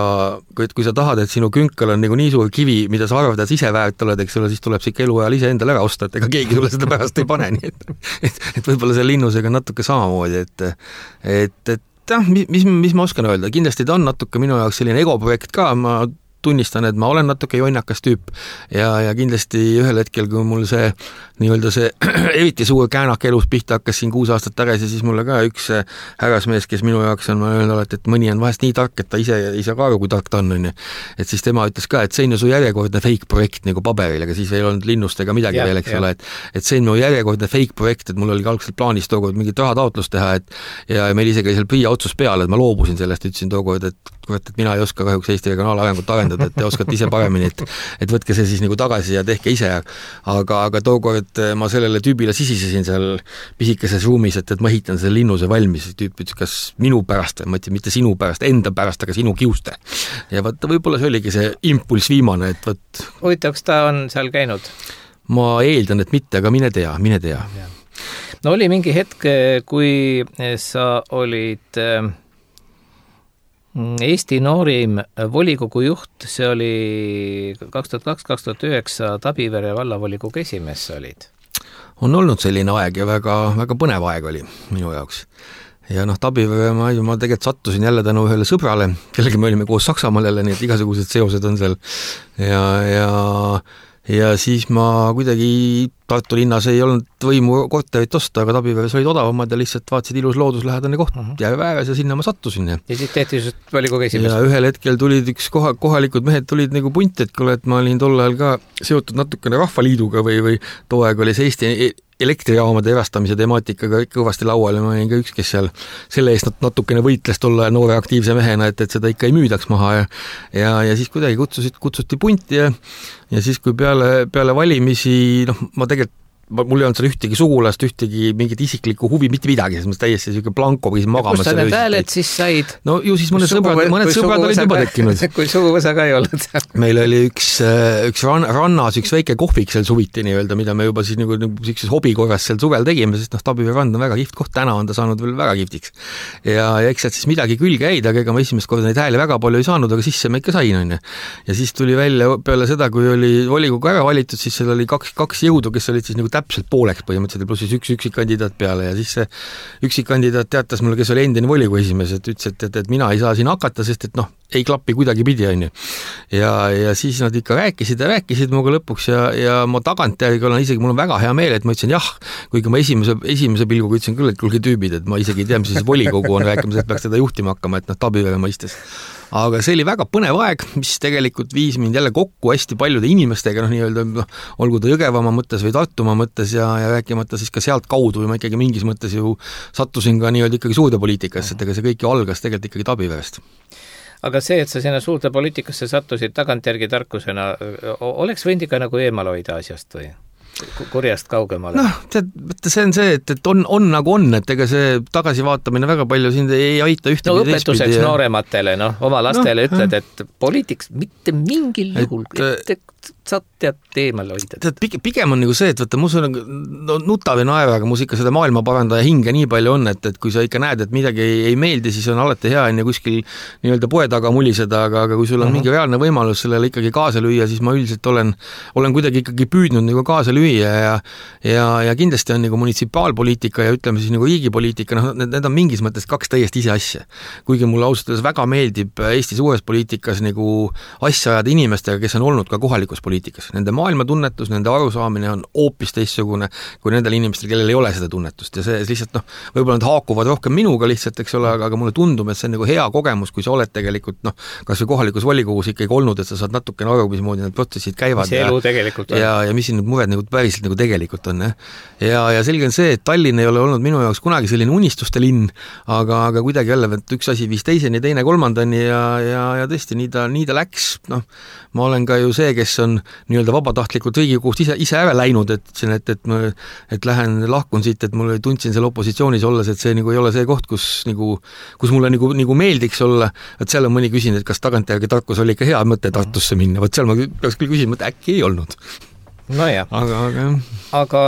kui, kui sa tahad, et sinu künkal on nagu nii suur kivi, mida sa arvad, et ise väärt oled, eks ole, siis tuleb see ikka eluajal ise endale ära osta, et ega keegi sulle seda pärast ei pane, nii et et, et võib-olla see linnusega natuke samamoodi, et et, et jah, mis, mis ma oskan öelda, kindlasti ta on natuke minu jaoks selline egoprojekt ka, ma tunnistan, et ma olen natuke jonnakas tüüp ja, ja kindlasti ühel hetkel, kui mul see nii-öelda see eriti suur käänak elus pihta hakkas siin kuus aastat tagasi, siis mulle ka üks härrasmees, kes minu jaoks on, ma öelnud alati, et mõni on vahest nii tark, et ta ise ei saa ka aru, kui tark ta on, on. Et siis tema ütles ka, et see on ju su järjekordne fake projekt nagu paberil, aga siis ei olnud linnust ega midagi ja, veel, eks ole, et, et see on mu järjekordne fake projekt, et mul oli algselt plaanis tookord mingit rahataotlust teha, et ja meil isegi seal PRIA otsus peale, et ma loobusin sellest, ütlesin tookord, et kurat, et mina ei oska kahjuks Eesti regionaalarengut arendada, et te oskate ise paremini, et, et võtke see siis nagu tagasi ja tehke ise, aga, aga tookord ma sellele tüübile sisisesin seal pisikeses ruumis, et, et ma ehitan selle linnuse valmis, tüüp ütles, kas minu pärast, ma ütlesin, mitte sinu pärast, enda pärast, aga sinu kiuste. Ja vaata, võib-olla see oligi see impulss viimane, et võt...
huvitav, kas ta on seal käinud?
Ma eeldan, et mitte, aga mine tea, mine tea.
No oli mingi hetk, kui sa olid Eesti noorim volikogu juht, see oli kaks tuhat kaks kaks tuhat üheksa Tabivere vallavolikogu esimees sa olid.
On olnud selline aeg ja väga, väga põnev aeg oli minu jaoks. Ja noh, Tabivere ma, ma tegelikult sattusin jälle tänu ühele sõbrale, kellega me olime koos Saksamaal jälle, nii et igasugused seosed on seal. Ja, ja, ja siis ma kuidagi Tartu linnas ei olnud võimu korterit osta, aga Tabiveres olid odavamad ja lihtsalt vaatasid ilus looduslähedane koht uh-huh. jääve ääres ja sinna ma sattusin. Ja,
ja siis tehti just volikogu esimees.
Ja ühel hetkel tulid üks koha, kohalikud mehed tulid nagu punti, et kuule, et ma olin tol ajal ka seotud natukene Rahvaliiduga või, või too aeg oli see Eesti elektrijaamade erastamise temaatikaga kõvasti laual ja ma olin ka üks, kes seal selle eest natukene võitles tolle noore aktiivse mehena, et, et seda ikka ei müüdaks maha ja, ja, ja siis kuidagi kutsusid, kutsuti punti ja, ja siis, kui peale, peale valimisi, noh, ma tegelikult mul ei olnud seal ühtegi sugulast, ühtegi mingit isiklikku huvi, mitte midagi, sest ma täiesti selline blanko võisin magama.
Kus sa need hääled siis said?
No ju siis mõned sõbrad, mõned sõbrad olid juba tekkinud.
Kui suguvõsa ka ei olnud seal.
Meil oli üks, üks ran, rannas üks väike kohvik seal suviti nii-öelda, mida me juba siis nagu, nagu sellises hobikorras seal suvel tegime, sest noh, Tabivere rand on väga kihvt koht, täna on ta saanud veel väga kihvtiks. Ja, ja eks sealt siis midagi külge jäid, aga ega ma esimest korda neid hääli väga palju ei saanud, aga sisse ma ikka sain, on. Ja siis tuli välja peale seda, kui oli volikogu ära valitud, siis seal oli kaks, kaks jõudu, kes olid siis nagu täpselt pooleks põhimõtteliselt, pluss siis üks üksikkandidaat peale ja siis see üksikkandidaat teatas mulle, kes oli endine volikogu esimees, et ütles, et, et, et mina ei saa siin hakata, sest et noh, ei klappi kuidagi pidi, on ju. Ja, ja siis nad ikka rääkisid ja rääkisid muga lõpuks ja, ja ma tagantjärgi olen isegi, mul on väga hea meel, et ma ütlesin jah, kuigi ma esimese, esimese pilguga ütlesin küll, et kulge tüübid, et ma isegi ei tea, mis siis volikogu on rääkimas, et peaks teda juhtima hakkama, et noh, Tabivere mõistes. Aga see oli väga põnev aeg, mis tegelikult viis mind jälle kokku hästi paljude inimestega, noh nii-öelda, noh, olgu ta Jõgevamaa mõttes või Tartumaa mõttes ja, ja rääkimata siis ka sealt kaudu või ma ikkagi mingis mõttes ju sattusin ka nii-öelda ikkagi suurde poliitikasse, et ega see kõik ju algas tegelikult ikkagi Tabiverest.
Aga see, et sa sinna suurde poliitikasse sattusid tagantjärgi tarkusena, oleks võinud ikka nagu eemal hoida asjast või? Kurjast kaugemale. Noh, tead, see on see, et, et on, on nagu on, et ega see tagasivaatamine väga palju sind ei aita ühte. No õpetuseks ja... noorematele, noh, oma lastele no, ütled, et poliitiks mitte mingil juhul, et sa tead teemal hoida.
Tead, pigem on nagu see, et võtta, mus on no, nutav ja naeva, aga mus ikka seda maailma parandaja hinge nii palju on, et, et kui sa ikka näed, et midagi ei, ei meeldi, siis on alati hea enne kuskil nii-öelda poe taga muliseda, aga, aga kui sul on uh-huh. mingi reaalne võimalus sellele ikkagi kaasa lüüa, siis ma üldiselt olen, olen kuidagi ikkagi püüdnud nagu kaasa lüüa ja, ja, ja kindlasti on nagu munitsipaalpoliitika ja ütleme siis nagu riigipoliitika, noh, need, need on mingis mõttes kaks täiesti ise asja. Kuigi mulle ausalt öeldes väga meeldib Eesti suures poliitikas nagu asja ajada inimestega, kes on olnud ka kohalikus poliitikas. Nende maailmatunnetus, nende arusaamine on hoopis teistsugune kui nendel inimestel, kellel ei ole seda tunnetust ja see lihtsalt noh, võib-olla nad haakuvad rohkem minuga lihtsalt, eks ole, aga, aga mulle tundub, et see on nagu hea kogemus, kui sa oled tegelikult noh, kas või kohalikus volikogus ikkagi olnud, et sa saad natukene aru, mismoodi need protsessid käivad.
See elu tegelikult on.
Ja, ja mis siin need mured nagu päriselt nagu tegelikult on. Ja, ja selge on see, et Tallinn ei ole olnud minu jaoks kunagi selline unistuste linn, aga, aga kuidagi jälle, et üks asi viis teiseni, teine kolmandani ja, ja, ja tõesti, nii ta, nii ta läks. Noh, ma olen ka ju see, kes on nii-öelda vabatahtlikult Riigikogust ise, ise ära läinud, et, et, et, ma, et lähen, lahkun siit, et mul tundsin seal opositsioonis olles, et see nagu ei ole see koht, kus, nagu, kus mulle nagu, nagu meeldiks olla, et seal on mõni küsinud, et kas tagantjärgi tarkus oli ikka hea mõte Tartusse minna, võt seal ma peaks küll küsima, et äkki ei olnud.
No jah.
Aga, aga...
aga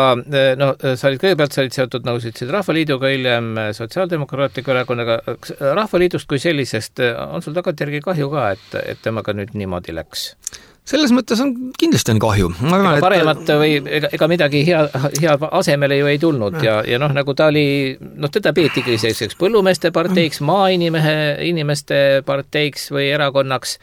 no, sa olid kõigepealt, sa olid seotud, nagu sa ütlesid, Rahvaliiduga, hiljem Sotsiaaldemokraatliku erakonnaga. Rahvaliidust kui sellisest on sul tagantjärgi kahju ka, et, et temaga nüüd niimoodi läks?
Selles mõttes on kindlasti on kahju. Ma arvan,
ega paremat et... või ega, ega midagi hea, hea asemele ju ei tulnud ja, ja noh, nagu ta oli, noh, teda peetigi selliseks põllumeeste parteiks, maainimehe inimeste parteiks või erakonnaks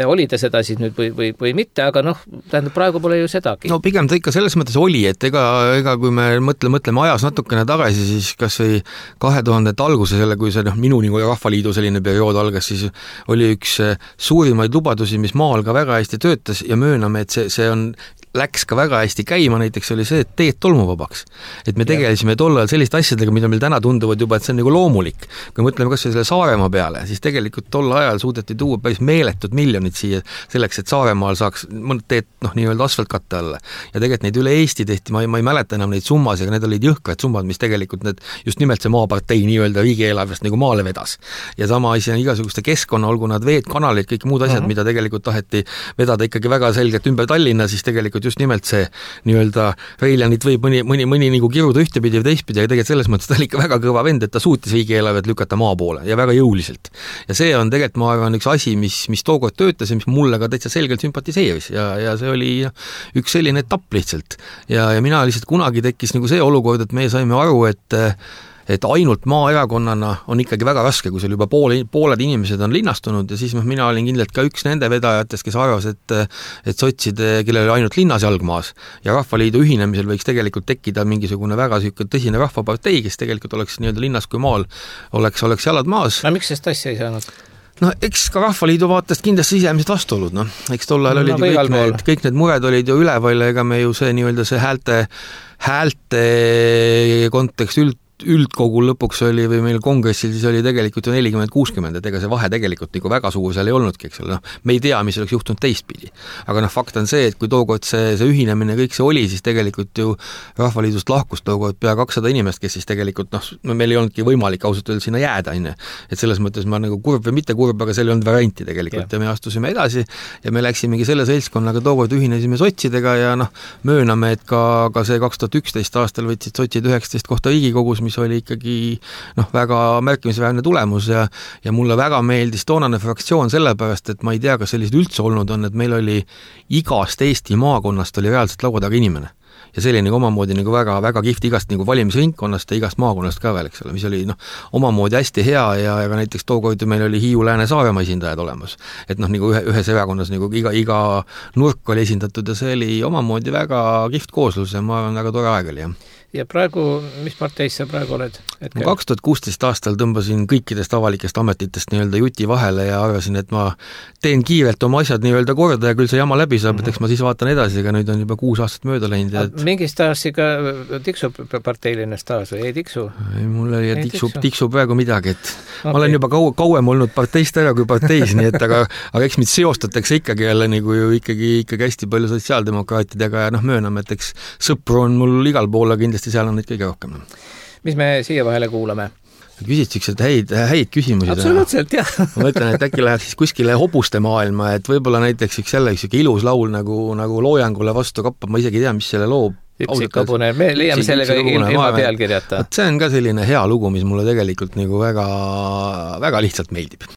oli ta seda siis nüüd või, või, või mitte, aga noh, tähendab, praegu pole ju sedagi.
No pigem ta ikka selles mõttes oli, et ega, ega kui me mõtle, mõtleme ajas natukene tagasi, siis kas või kahe tuhandete alguse selle, kui see noh, minu nagu Rahvaliidu selline periood algas, siis oli üks suurimaid lubadusi, mis maal ka väga hästi töötas ja mööname, et see, see on läks ka väga hästi käima, näiteks oli see, et teed tolmuvabaks. Et me tegelesime tol ajal selliste asjadega, mida meil täna tunduvad juba, et see on nagu loomulik. Kui mõtleme kas või selle Saaremaa peale, siis tegelikult tol ajal suudeti tuua päris meeletud miljonid siia selleks, et Saaremaal saaks mõned teed noh, nii-öelda asfaltkatte alla. Ja tegelikult neid üle Eesti tehti, ma ei, ma ei mäleta enam neid summas, aga need olid jõhkrad summad, mis tegelikult need, just nimelt see maapartei nii-öelda riigieelarvest nagu maale vedas. Ja sama asi on igasuguste keskkonna, olgu nad veed, kanalid, kõik muud asjad, uh-huh. mida tegelikult taheti vedada ikkagi väga selgelt ümber Tallinna, siis tegelikult just nimelt see nii-öelda Reiljanit võib mõni, mõni, mõni nagu kiruda ühtepidi või teistpidi, aga tegelikult selles mõttes ta oli ikka väga kõva vend, et ta suutis riigieelarvet lükata maa poole ja väga jõuliselt. Ja see on tegelikult, ma arvan, üks asi, mis, mis tookord töötas ja mis mulle ka täitsa selgelt sympatiseeris ja, ja see oli üks selline etapp lihtsalt. Ja, ja mina lihtsalt kunagi tekkis nagu see olukord, et me saime aru, et et ainult maaerakonnana on ikkagi väga raske, kui seal juba poole, pooled inimesed on linnastunud ja siis noh, mina olin kindlalt ka üks nende vedajatest, kes arvas, et et sotside, kellel oli ainult linnas jalgmaas ja Rahvaliidu ühinemisel võiks tegelikult tekkida mingisugune väga süükene tõsine rahvapartei, kes tegelikult oleks nii-öelda linnas kui maal, oleks, oleks jalad maas.
No miks sest asja ei saanud?
No eks ka Rahvaliidu vaatest kindlasti sisemised vastuolud, noh. Eks tol ajal olid no, kõik, need, kõik need mured olid ju üleval, ega me ju see nii-öelda see häälte, häälte kontekst üld üldkogul lõpuks oli või meil kongressil siis oli tegelikult ju nelikümmend kuuskümmend, et ega see vahe tegelikult nagu väga suur seal ei olnudki, eks ole, noh, me ei tea, mis oleks juhtunud teistpidi. Aga noh, fakt on see, et kui tookord see, see ühinemine kõik see oli, siis tegelikult ju Rahvaliidust lahkus tookord pea kakssada inimest, kes siis tegelikult noh, meil ei olnudki võimalik ausalt öelda sinna jääda, enne. Et selles mõttes ma nagu kurb või mitte kurb, aga seal ei olnud varianti tegelikult ja. ja me astusime edasi ja me läksimegi selle seltskonnaga tookord ühinesime sotsidega ja noh, mööname, et ka, ka see kaks tuhat üksteist aastal võtsid sotsid üheksateist kohta Riigikogus, mis oli ikkagi noh, väga märkimisväärne tulemus ja, ja mulle väga meeldis toonane fraktsioon sellepärast, et ma ei tea, kas sellised üldse olnud on, et meil oli igast Eesti maakonnast oli reaalselt laua taga inimene. Ja see oli nagu omamoodi nagu väga, väga kihvt igast nagu valimisringkonnast ja igast maakonnast ka veel, eks ole, mis oli noh, omamoodi hästi hea ja, ja näiteks tookord meil oli Hiiu Lääne Saaremaa esindajad olemas. Et noh, nagu ühe, ühes erakonnas nagu iga, iga nurk oli esindatud ja see oli omamoodi väga kihvt kooslus ja ma arvan, väga tore aeg oli, jah.
Ja praegu, mis parteis sa praegu oled?
Ma kaks tuhat kuusteist aastal tõmbasin kõikidest avalikest ametitest nii-öelda juti vahele ja arvasin, et ma teen kiirelt oma asjad nii-öelda korda ja küll see jama läbi saab, et eks ma siis vaatan edasi, aga nüüd on juba kuus aastat mööda läinud. Et...
Mingi staaži ka tiksub parteiline staaž või ei tiksu?
Ei, mul oli tiksub, tiksub praegu midagi, et okay. Ma olen juba kau, kauem olnud parteist ära kui parteis, nii et aga, aga eks mind seostatakse ikkagi jälle nagu ju ikkagi, ikkagi hästi palju sotsiaaldemokraatidega ja noh, mööname, et eks sõpru on mul igal pool, aga kindlasti seal on neid kõige rohkem.
Mis me siia vahele kuulame?
Küsid siuksed häid, häid küsimusi.
Absoluutselt, jah.
Ma mõtlen, et äkki läheb siis kuskile hobuste maailma, et võib-olla näiteks üks jälle üks ilus laul nagu, nagu loojangule vastu kappa, ma isegi tea, mis selle loo.
Üksikabune, me leiame sellega ilma pealkirjata.
See on ka selline hea lugu, mis mulle tegelikult nagu väga, väga lihtsalt meeldib.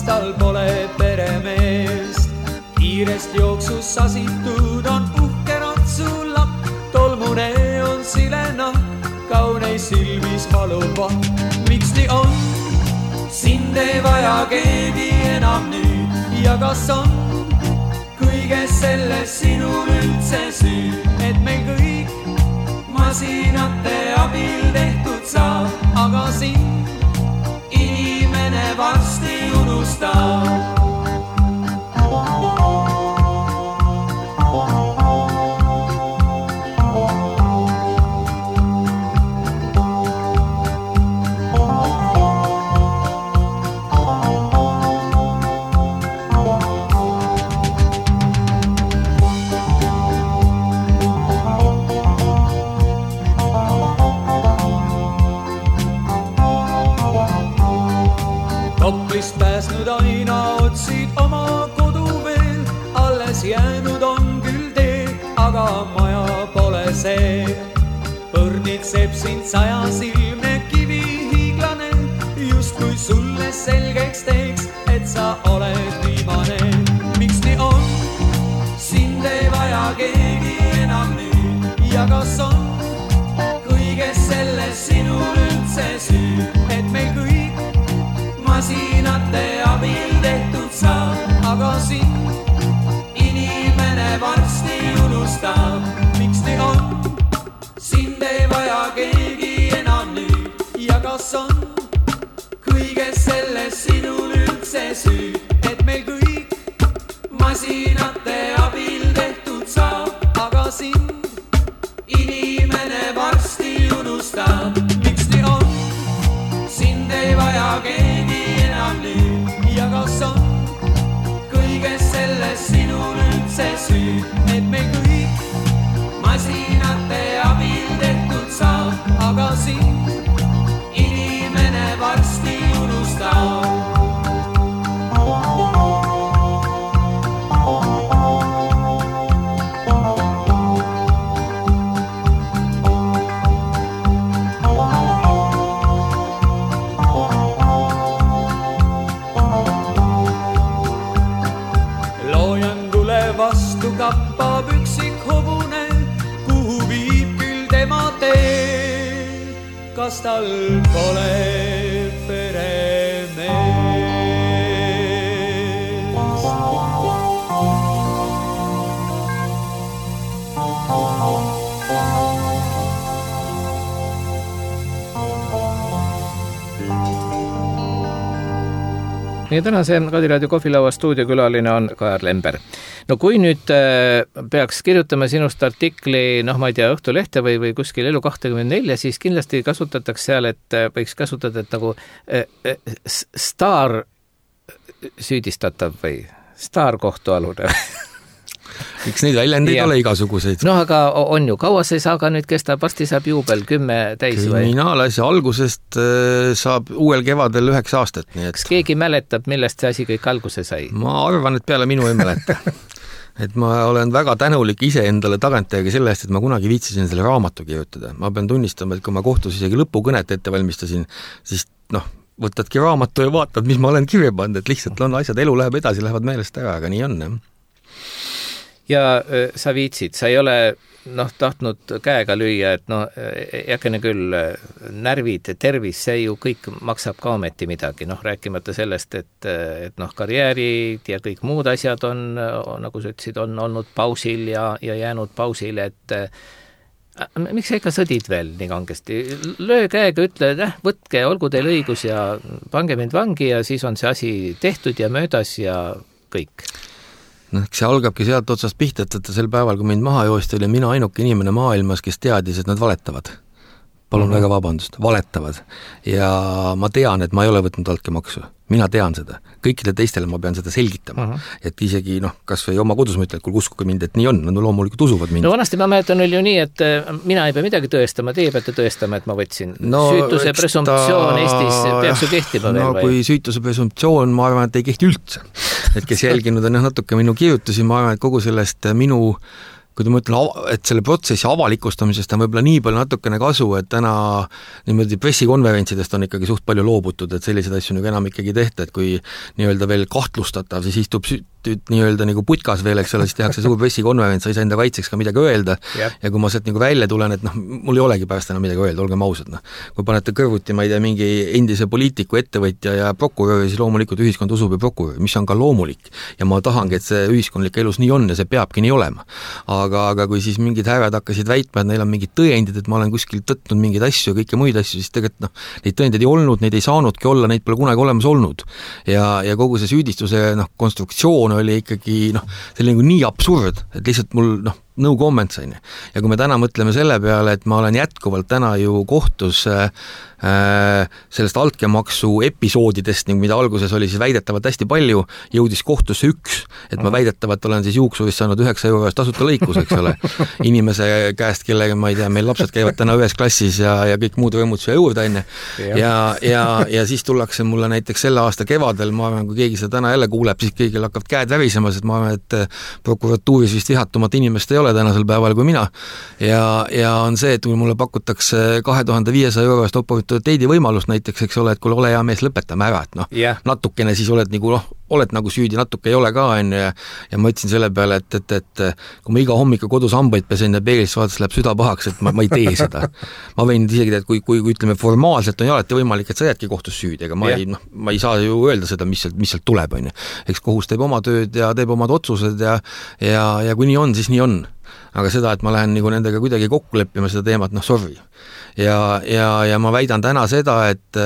Tal pole peremeest, kiirest jooksus sasitud on uhke ratsulapp, tolmune on silena, kauneis silmis valuva. Miks nii on? Sind ei vaja keegi enam nüüd ja kas on kõiges selles sinul üldse süü, et meil kõik masinate abil tehtud saab, aga sind inimene varsti unustab. see. Põrnitseb sind saja silme kivi hiiglane, just kui sulle selgeks teeks, et sa oled viimane. Miks nii on? Sind ei vaja keegi enam nüüd. Ja kas on kõiges selles sinul üldse süü, et meil kõik masinate abil tehtud saab, aga sind inimene varsti unustab. Miks nii on? Sind ei vaja keegi enam nüüd. Ja kas on kõiges selles sinul üldse süü, et meil kõik masinate abil tehtud saab, aga sind inimene varsti unustab. Miks nii on? Sind ei vaja keegi enam nüüd. Ja kas on kõiges selles sinul üldse süü, et meil kõik masinate abil tehtud saab, aga sind inimene varsti unustab. Vastu kappab üksik hobune, kuhu viib küll tema tee. Kas tal pole peremees?
Meie tänase Kadiraadio kohvilaua stuudiokülaline on Kajar Lember. No kui nüüd peaks kirjutama sinust artikli, noh ma ei tea, Õhtulehte või, või kuskil Elu kakskümmend neli, siis kindlasti kasutatakse seal, et võiks kasutada et nagu staar süüdistatav või staar kohtualune.
Miks neid väljendeid ole igasuguseid?
No aga on ju, kaua see saaga nüüd kestab, varsti saab juubel kümme täis või?
Kriminaalasja algusest saab uuel kevadel üheks aastat. Nii et...
Kas keegi mäletab, millest see asi kõik alguse sai?
Ma arvan, et peale minu ei mäleta. Et ma olen väga tänulik ise endale tagantjärgi selle eest, et ma kunagi viitsisin selle raamatu kirjutada. Ma pean tunnistama, et kui ma kohtus isegi lõpukõnet ette valmistasin, siis noh, võtadki raamatu ja vaatad, mis ma olen kirja pannud, et lihtsalt on asjad, elu läheb edasi, lähevad meelest ära, aga nii on, jah.
Ja sa viitsid, sa ei ole noh, tahtnud käega lüüa, et no jäkene küll närvid, tervis, see ju kõik maksab ka ometi midagi, noh rääkimata sellest, et, et noh, karjäärid ja kõik muud asjad on, nagu sa ütlesid, on olnud pausil ja, ja jäänud pausile, et miks sa ikka sõdid veel nii kangesti? Löö käega, ütle, et eh, võtke, olgu teil õigus ja pange mind vangi ja siis on see asi tehtud ja möödas ja kõik.
No, see algabki sealt otsast pihta, et sel päeval, kui mind maha joosti, oli mina ainuke inimene maailmas, kes teadis, et nad valetavad. Palun mm-hmm. väga vabandust, valetavad. Ja ma tean, et ma ei ole võtnud altkäemaksu. Mina tean seda. Kõikide teistele ma pean seda selgitama. Uh-huh. Et isegi, noh, kas või oma kodus ma ütlen, et kui uskuge mind, et nii on, no loomulikult usuvad mind.
No vanasti ma mäletan oli ju nii, et mina ei pea midagi tõestama, teie peate tõestama, et ma võtsin. No, süütuse presumptsioon ta... Eestis peaks ju kehtima veel
no, või? Kui süütuse presumptsioon, ma arvan, et ei kehti üldse. Et kes jälginud on natuke minu kirjutusi, ma arvan, et kogu sellest minu kui ma ütlen, et selle protsessi avalikustamisest on võib-olla nii palju natukene kasu, et täna niimoodi pressikonverentsidest on ikkagi suht palju loobutud, et selliseid asju nagu enam ikkagi tehta, et kui nii-öelda veel kahtlustatav, siis istub nii-öelda nagu putkas veel, eks ole, siis tehakse suur pressikonverents, sa ei saa enda kaitseks ka midagi öelda yep. Ja kui ma sealt nagu välja tulen, et noh, mul ei olegi pärast enam midagi öelda, olgem ausad, noh. Kui panete kõrvuti, ma ei tea, mingi endise poliitiku, ettevõtja ja prokurööri, siis loomulikult ühiskond usub ja prokurööri, mis on ka loomulik. Ja ma tahangi, et see ühiskondlik elus nii on ja see peabki nii olema. Aga, aga kui siis mingid härrad hakkasid väitma, et neil on mingid tõendid, et ma olen kuskil tõtnud mingeid asju ja kõike muid asju, siis tegelikult noh, neid tõendeid ei olnud, neid ei saanudki olla, neid pole kunagi olemas olnud. Ja, ja kogu see süüdistuse noh, konstruktsioon oli ikkagi noh, see oli nagu nii absurd, et lihtsalt mul noh, no comment sain. Ja kui me täna mõtleme selle peale, et ma olen jätkuvalt täna ju kohtus äh, sellest altkäemaksu episoodidest, mida alguses oli siis väidetavalt hästi palju, jõudis kohtusse üks, et ma väidetavalt olen siis juuksurist saanud üheksa euro eest tasuta lõikus, eks ole, inimese käest, kellega ma ei tea, meil lapsed käivad täna ühes klassis ja, ja kõik muud rõõmud siia juurde enne. Ja, ja, ja siis tullakse mulle näiteks selle aasta kevadel, ma arvan, kui keegi seda täna jälle kuuleb, siis kõigil hakkavad käed värisemas, et ma arvan, et prokuratuuris vist vihatumat inimest ei ole ole tänasel päeval kui mina ja, ja on see, et kui mulle pakutakse kahe tuhande viiesaja eurost oportuniteedi võimalust näiteks, eks ole, et kui ole hea mees, lõpetame ära, et noh, yeah. natukene siis oled nagu, noh, oled nagu süüdi, natuke ei ole ka, on ja, ja ma ütlesin selle peale, et, et, et kui ma iga hommiku kodus hambaid pesen ja peeglist vaadates läheb süda pahaks, et ma, ma ei tee seda. Ma võin isegi teha, et kui, kui, kui ütleme formaalselt on ju alati võimalik, et sa jäädki kohtus süüdi, ega ma, yeah. ei, noh, ma ei saa ju öelda seda, mis sealt, mis sealt tuleb, on ju. Eks kohus teeb oma tööd ja teeb omad otsused ja, ja, ja kui nii on, siis nii on. Aga seda, et ma lähen nagu nendega kuidagi kokku leppima seda teemat, noh, sorry. Ja, ja, ja ma väidan täna seda, et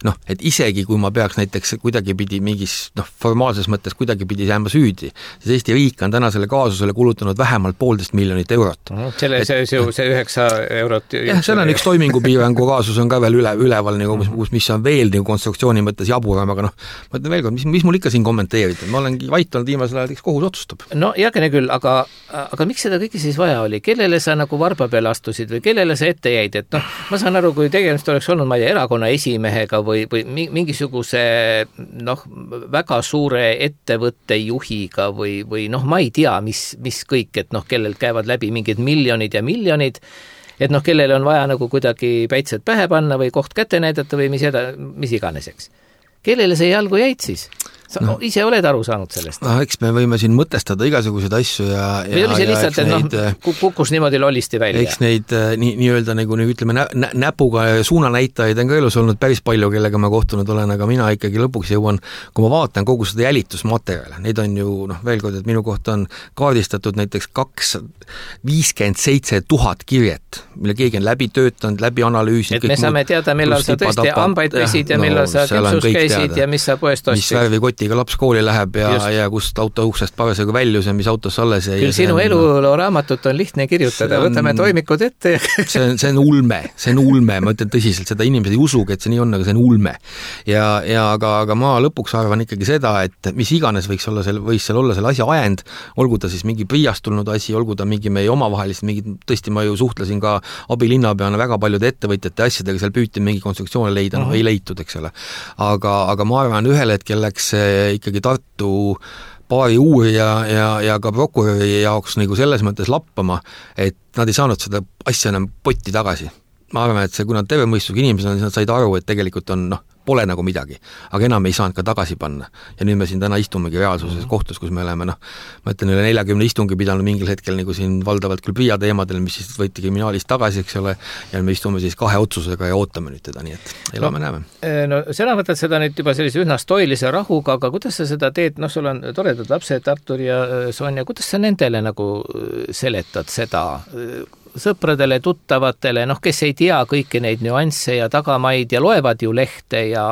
noh, et isegi kui ma peaks näiteks kuidagi pidi mingis noh, formaalses mõttes kuidagi pidi jääma süüdi, siis Eesti riik on täna selle kaasusele kulutanud vähemalt poolteist miljonit eurot.
Selle, et, see, see, see üheksa eurot...
Jah, seal on üks toimingupiirangu kaasus on ka veel üle, üleval, nagu, mis, mis on veel nagu konstruktsiooni mõttes jaburam, aga noh, ma ütlen veel kord, mis, mis mul ikka siin kommenteerida? Ma olengi vait olnud viimasel ajal, eks kohus otsustab.
No jagene küll, aga, aga miks seda kõike siis vaja oli? Kellele sa nagu varba peale astusid või kellele sa ette jäid? Et noh, ma saan aru, kui tegemist oleks olnud, ma ei tea, erakonna esimehega või, või mingisuguse noh, väga suure ettevõtte juhiga või, või noh, ma ei tea, mis, mis kõik, et noh, kellelt käivad läbi mingid miljonid ja miljonid, et noh, kellele on vaja nagu kuidagi päitsed pähe panna või koht kätte näidata või mis, eda, mis iganeseks. Kellele see jalgu jäid siis? Sa no. ise oled aru saanud sellest?
No, eks me võime siin mõtestada igasuguseid asju ja...
Või oli see
ja,
lihtsalt, et neid, noh, kukkus niimoodi lollisti välja?
Eks neid nii, nii-öelda nagu nii ütleme nä, nä, näpuga suunanäitajaid on ka elus olnud päris palju, kellega ma kohtunud olen, aga mina ikkagi lõpuks jõuan, kui ma vaatan kogu seda jälitusmaterjale, neid on ju, noh, veel kord, et minu kohta on kaardistatud näiteks kaks viiskümmend seitse tuhat kirjet, mille keegi on läbi töötanud, läbi analüüsinud.
Et me saame teada, millal sa tõesti ambaid pesid ja millal sa küpsus käisid ja mis sa poest ostid.
Ka laps kooli läheb ja, ja kust auto uksest parasjagu väljus ja mis autos alles jäi.
Küll sinu eluloo raamatut on lihtne kirjutada, on, võtame toimikud ette.
see, on, see on ulme, see on ulme, ma ütlen tõsiselt, seda inimesed ei usugi, et see nii on, aga see on ulme. Ja, ja aga, aga ma lõpuks arvan ikkagi seda, et mis iganes võiks olla seal, võis seal olla selle asja ajend, olgu ta siis mingi priiast tulnud asi, olgu ta mingi meie omavahelist, mingi, tõesti ma ju suhtlesin ka abilinnapeana väga paljude ettevõtjate asjadega, seal püüti mingi konstruktsioone leida, noh ei leitud, eks ole. Aga, aga ma arvan, ühel hetkel läks ikkagi Tartu paari uurija ja, ja ka prokuröri jaoks nagu selles mõttes lappama, et nad ei saanud seda asja enam potti tagasi. Ma arvan, et see, kui nad tervemõistusega inimesed on, siis nad said aru, et tegelikult on, noh, pole nagu midagi, aga enam ei saanud ka tagasi panna. Ja nüüd me siin täna istumegi reaalsuses kohtus, kus me oleme, noh, ma ütlen, üle neljakümne istungi pidanud mingil hetkel nagu siin valdavalt küll Priia teemadel, mis siis võeti kriminaalist tagasi, eks ole, ja me istume siis kahe otsusega ja ootame nüüd teda, nii et elame no, näeme.
No sina võtad seda nüüd juba sellise üsna stoilise rahuga, aga kuidas sa seda teed, noh, sul on toredad lapsed, Artur ja Sonja, kuidas sa nendele nagu seletad seda sõpradele, tuttavatele, noh, kes ei tea kõiki neid nüansse ja tagamaid ja loevad ju lehte ja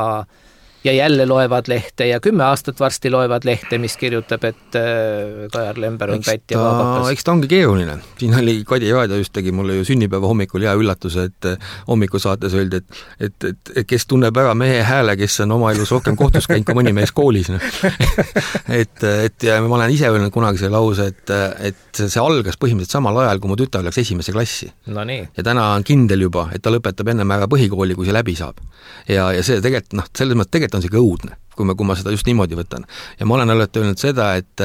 ja jälle loevad lehte ja kümme aastat varsti loevad lehte, mis kirjutab, et Kajar Lember on pätt ja vaabakas.
Eks ta ongi keeruline. Siin oli Kadi Raadio just tegi mulle ju sünnipäeva hommikul hea üllatuse, et hommikusaates öeldi, et, et, et, et kes tunneb ära mehe hääle, kes on oma elus rohkem kohtus käinud kui mõni mees koolis. No. et, et ja ma olen ise öelnud kunagi see lause, et, et see algas põhimõtteliselt samal ajal, kui mu tütar läks esimese klassi.
No nii.
Ja täna on kindel juba, et ta lõpetab ennem ära põhikooli, kui see läbi saab. Ja, ja see tegelikult, noh, selles mõttes tegelikult on see ka õudne, kui ma, kui ma seda just niimoodi võtan. Ja ma olen alati öelnud seda, et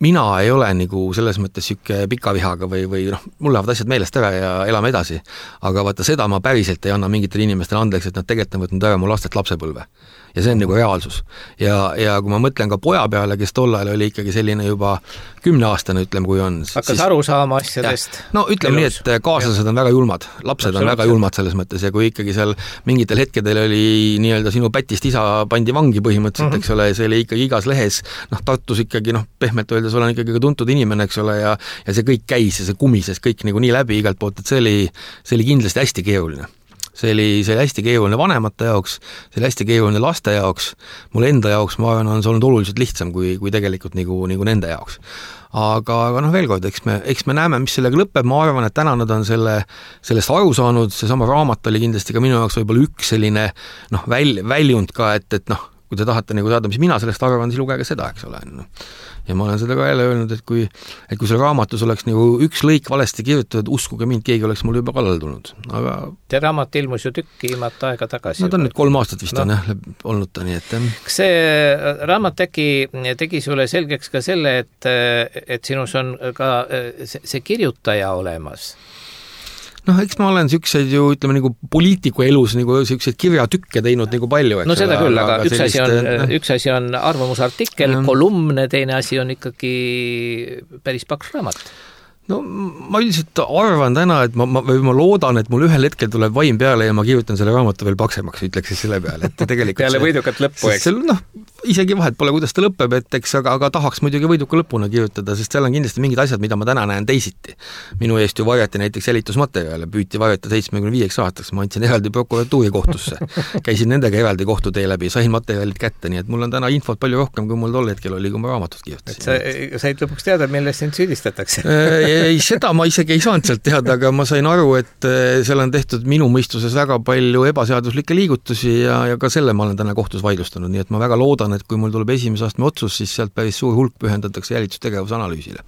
mina ei ole nagu selles mõttes siuke pika vihaga või, või noh, mul lähevad asjad meelest ära ja elame edasi. Aga vaata, seda ma päriselt ei anna mingitele inimestele andeks, et nad tegelikult on võtnud ära mu lastelt lapsepõlve. Ja see on nagu reaalsus. Ja, ja kui ma mõtlen ka poja peale, kes tollal oli ikkagi selline juba kümneaastane, ütleme, kui on.
Hakkas siis, aru saama asjadest.
No ütleme elus. Nii, et kaaslased on väga julmad. Lapsed on väga julmad selles mõttes ja kui ikkagi seal mingitel hetkedel oli nii-öelda sinu pätist isa pandi vangi põhimõtteliselt, mm-hmm. eks ole, see oli ikkagi igas lehes, noh, Tartus ikkagi, noh, pehmelt öeldes olen ikkagi ka tuntud inimene, eks ole, ja, ja see kõik käis ja see kumises kõik nagu nii läbi igalt poolt, et see oli, see oli kindlasti hästi keeruline. See oli, see oli hästi keeruline vanemate jaoks, see oli hästi keeruline laste jaoks, mul enda jaoks, ma arvan, on see olnud oluliselt lihtsam kui, kui tegelikult nagu, nagu nende jaoks. Aga, aga noh, veel kord, eks me, eks me näeme, mis sellega lõpeb, ma arvan, et täna nad on selle, sellest aru saanud, see sama raamat oli kindlasti ka minu jaoks võib-olla üks selline noh, väl, väljund ka, et, et noh, kui te tahate nagu saada, mis mina sellest arvan, siis lugege seda, eks ole. ja ma olen seda ka jälle öelnud, et kui, et kui seal raamatus oleks nagu üks lõik valesti kirjutatud, uskuge mind, keegi oleks mul juba kallal tulnud. Aga
see raamat ilmus ju tükki ilmata aega tagasi.
No ta on nüüd kolm aastat vist no. on jah, olnud ta nii, et
kas see raamat tegi, tegi sulle selgeks ka selle, et, et sinus on ka see, see kirjutaja olemas?
noh, eks ma olen niisuguseid ju, ütleme, nagu poliitiku elus nagu niisuguseid kirjatükke teinud nagu palju, eks
no seda küll, aga, aga üks, sellist, asi on, äh, üks asi on arvamusartikkel, äh, kolumne, teine asi on ikkagi päris paks raamat.
No ma üldiselt arvan täna, et ma, ma, või ma loodan, et mul ühel hetkel tuleb vaim peale ja ma kirjutan selle raamatu veel paksemaks, ütleks siis selle peale, et tegelikult
peale võidukat lõppu, eks?
Noh, isegi vahet pole, kuidas ta lõpeb, et eks, aga, aga tahaks muidugi võiduka lõpuna kirjutada, sest seal on kindlasti mingid asjad, mida ma täna näen teisiti. Minu eest ju varjati näiteks jälitusmaterjale, püüti varjata seitsmekümne viieks aastaks, ma andsin eraldi prokuratuuri kohtusse. Käisin nendega eraldi kohtutee läbi, sain materjalid kätte, nii et mul on täna infot palju rohkem, kui mul tol hetkel oli, kui ma raamatut kirjutasin.
Et sa said lõpuks teada, millest sind süüdistatakse?
ei, seda ma isegi ei saanud sealt teada, aga ma sain aru, et seal on tehtud minu mõistuses väga palju ebaseaduslikke liigutusi ja, ja ka selle ma olen täna kohtus vaidlustanud, nii et ma väga loodan, et kui mul tuleb esimese astme otsus, siis sealt päris suur hulk pühendatakse jälitustegevuse analüüsile.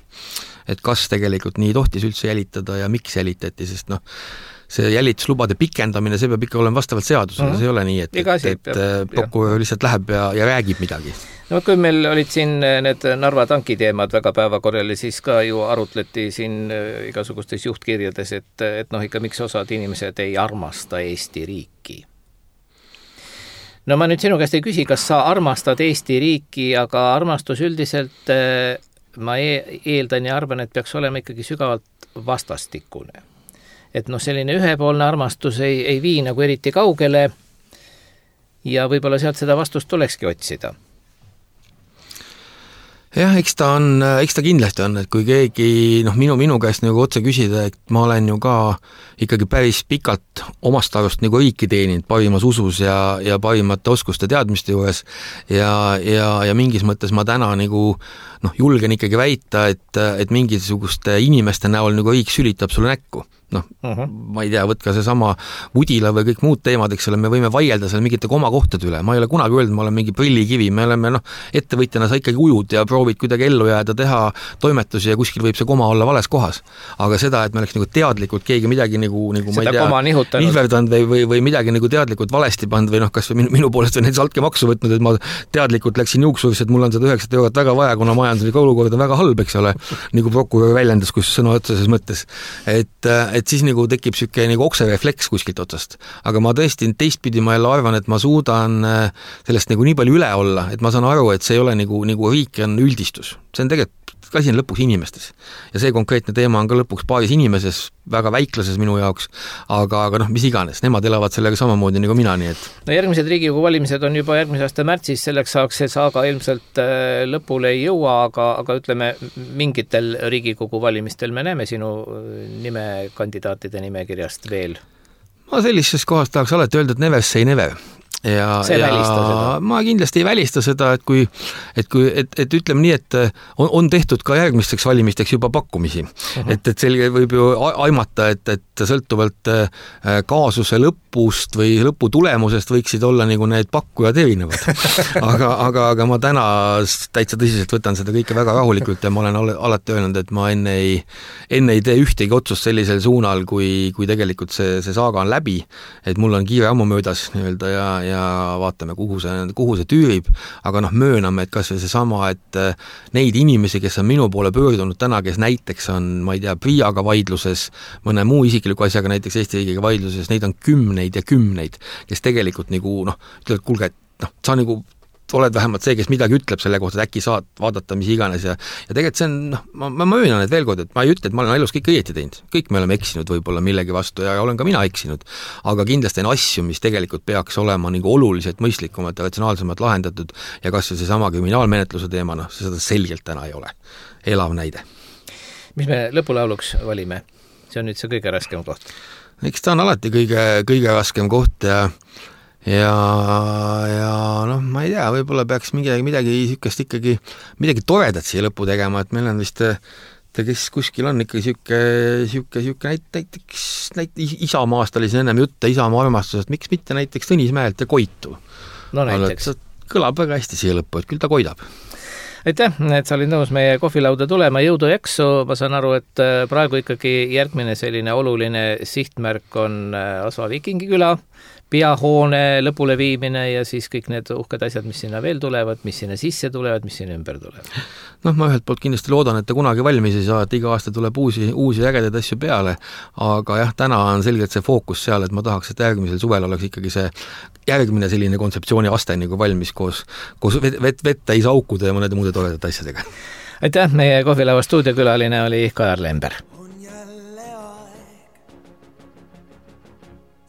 Et kas tegelikult nii tohtis üldse jälitada ja miks jälitati, sest noh, see jälituslubade pikendamine, see peab ikka olema vastavalt seadusele, mm-hmm. see ei ole nii, et, et, et prokurör lihtsalt läheb ja, ja räägib midagi.
No kui meil olid siin need Narva tanki teemad väga päevakorrali, siis ka ju arutleti siin igasugustes juhtkirjades, et, et noh, ikka miks osad inimesed ei armasta Eesti riiki. No ma nüüd sinu käest ei küsi, kas sa armastad Eesti riiki, aga armastus üldiselt ma eeldan ja arvan, et peaks olema ikkagi sügavalt vastastikune. Et noh, selline ühepoolne armastus ei, ei vii nagu eriti kaugele ja võib-olla sealt seda vastust tulekski otsida.
Jah, eks ta on, eks ta kindlasti on, et kui keegi, noh, minu, minu käest nagu otse küsida, et ma olen ju ka ikkagi päris pikalt omast arust nagu riiki teeninud parimas usus ja, ja parimate oskuste teadmiste juures ja, ja, ja mingis mõttes ma täna nagu, noh, julgen ikkagi väita, et, et mingisuguste inimeste näol nagu riik sülitab sulle näkku. Noh, uh-huh. ma ei tea, võtka see sama Udila või kõik muud teemad, eks ole, me võime vaielda seal mingite komakohtade üle, ma ei ole kunagi öelnud, ma olen mingi prillikivi, me oleme, noh, ettevõtjana sa ikkagi ujud ja proovid kuidagi ellu jääda, teha toimetusi ja kuskil võib see koma olla vales kohas. Aga seda, et me oleks nagu teadlikult keegi midagi nagu, nagu ma ei tea, nihverdanud või, või, või midagi nagu teadlikult valesti pand või noh, kas või minu, minu poolest või näiteks altkäemaksu võtnud, et ma teadlikult läksin juuksurisse, et mul on seda üheksat eurot väga vaja, kuna majanduslik olukord on väga halb, eks ole, nagu prokurör väljendas, kus sõna otseses mõttes. Et, et siis nagu tekib siuke nagu okserefleks kuskilt otsast. Aga ma tõesti teistpidi ma jälle arvan, et ma suudan sellest nagu nii palju üle olla, et ma saan aru, et see ei ole nagu, nagu riik on üldistus. See on tegelikult asi on lõpuks inimestes. Ja see konkreetne teema on ka lõpuks paaris inimeses, väga väiklases minu jaoks, aga, aga noh, mis iganes, nemad elavad sellega samamoodi nagu mina, nii et.
No järgmised Riigikogu valimised on juba järgmise aasta märtsis, selleks saaks see saaga ilmselt lõpule ei jõua, aga, aga ütleme, mingitel Riigikogu valimistel me näeme sinu nime kandidaatide nimekirjast veel.
Ma sellises kohas tahaks alati öelda, et never say never. Ja, ja ma kindlasti ei välista seda, et kui, et, kui, et, et ütleme nii, et on, on tehtud ka järgmisteks valimisteks juba pakkumisi. Uh-huh. Et, et selge võib ju aimata, et, et sõltuvalt kaasuse lõpust või lõpu tulemusest võiksid olla nagu need pakkujad erinevad. aga, aga, aga ma täna täitsa tõsiselt võtan seda kõike väga rahulikult ja ma olen alati öelnud, et ma enne ei, enne ei tee ühtegi otsust sellisel suunal, kui, kui tegelikult see, see saaga on läbi, et mul on kiire ammu möödas nii-öelda ja ja vaatame, kuhu see, kuhu see tüürib, aga noh, mööname, et kas või see sama, et neid inimesi, kes on minu poole pöördunud täna, kes näiteks on, ma ei tea, Priiaga vaidluses, mõne muu isikliku asjaga, näiteks Eesti riigiga vaidluses, neid on kümneid ja kümneid, kes tegelikult nagu, noh, ütlevad, kuulge, et noh, sa nagu oled vähemalt see, kes midagi ütleb selle kohta, et äkki saad vaadata, mis iganes ja, ja tegelikult see on, noh, ma, ma möönan, et veel kord, et ma ei ütle, et ma olen elus kõik õieti teinud. Kõik me oleme eksinud võib-olla millegi vastu ja olen ka mina eksinud, aga kindlasti on asju, mis tegelikult peaks olema nagu oluliselt mõistlikumad ja ratsionaalsemad lahendatud ja kas see sama kriminaalmenetluse teema, noh, seda selgelt täna ei ole. Elav näide.
Mis me lõpulauluks valime? See on nüüd see kõige raskem koht.
Eks ta on alati kõige, kõige raskem koht ja ja, ja noh, ma ei tea, võib-olla peaks midagi, midagi sükest ikkagi, midagi toredat siia lõppu tegema, et meil on vist ta kes kuskil on ikka siuke, siuke, siuke näiteks, näiteks Isamaast oli siin ennem jutte Isamaa armastusest, miks mitte näiteks Tõnismäelt ja Koitu.
No näiteks.
Kõlab väga hästi siia lõppu, et küll ta koidab.
aitäh, et sa olid nõus meie kohvilauda tulema, jõudu jaksu, ma saan aru, et praegu ikkagi järgmine selline oluline sihtmärk on Asva Viikingiküla, peahoone lõpule viimine ja siis kõik need uhked asjad, mis sinna veel tulevad, mis sinna sisse tulevad, mis sinna ümber tulevad.
Noh, ma ühelt poolt kindlasti loodan, et ta kunagi valmis ei saa, et iga aasta tuleb uusi, uusi ägedaid asju peale, aga jah, täna on selgelt see fookus seal, et ma tahaks, et järgmisel suvel oleks ikkagi see järgmine selline kontseptsiooni aste nagu valmis koos, koos vet, vet, vettäis aukude ja mõnede muude toredate asjadega.
Aitäh, meie kohvilava stuudiokülaline oli Kajar Lember.
On jälle aeg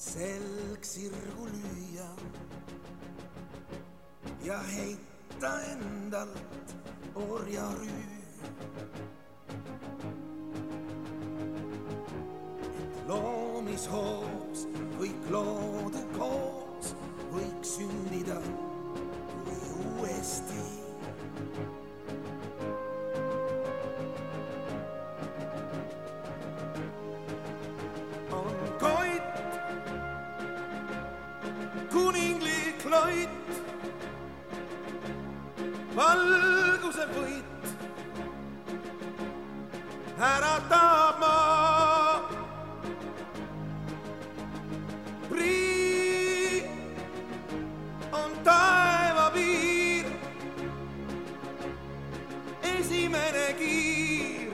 selg sirgu lüüa ja heita endalt orjarüü. Et loomishoos kõik loode koos võiks sündida kui uuesti. On koit, kuninglik loit, valguse võit, äratab maa. Prii on taeva piir, esimene kiir,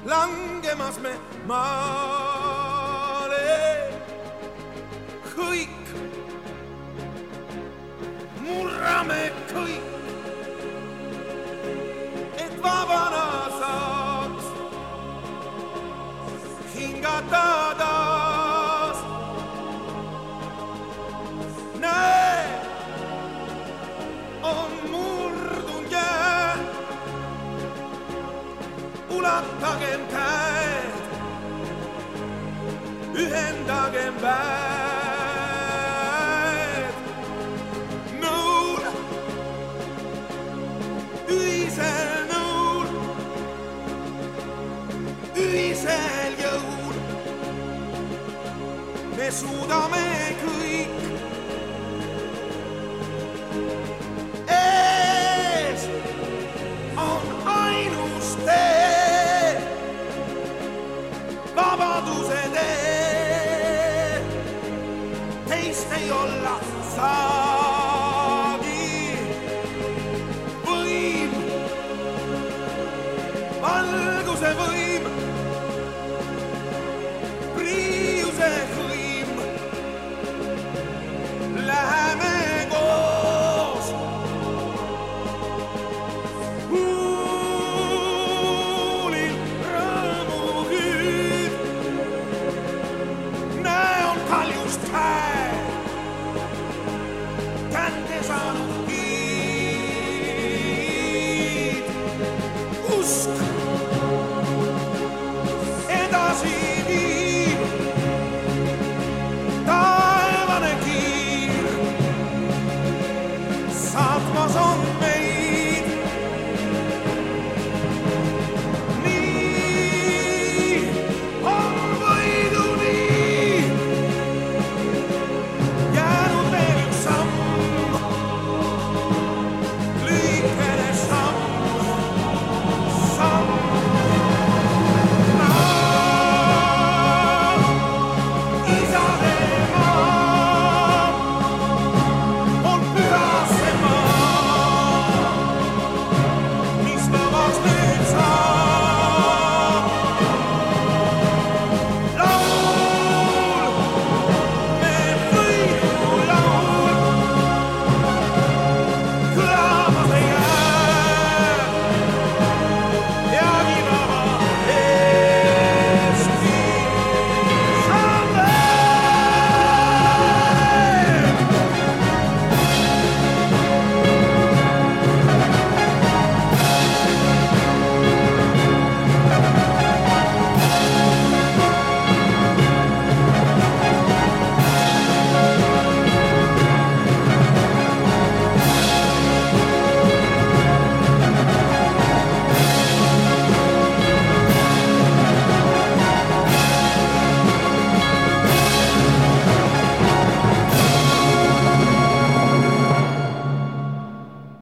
langemas me maale. Kõik, murrame kõik, et vabana saaks hingata taas. Näe, on murdun jää, ulatagem käed, ühendagem väed. Nõul, ühisel nõul, ühisel jõul, me suudame kõik.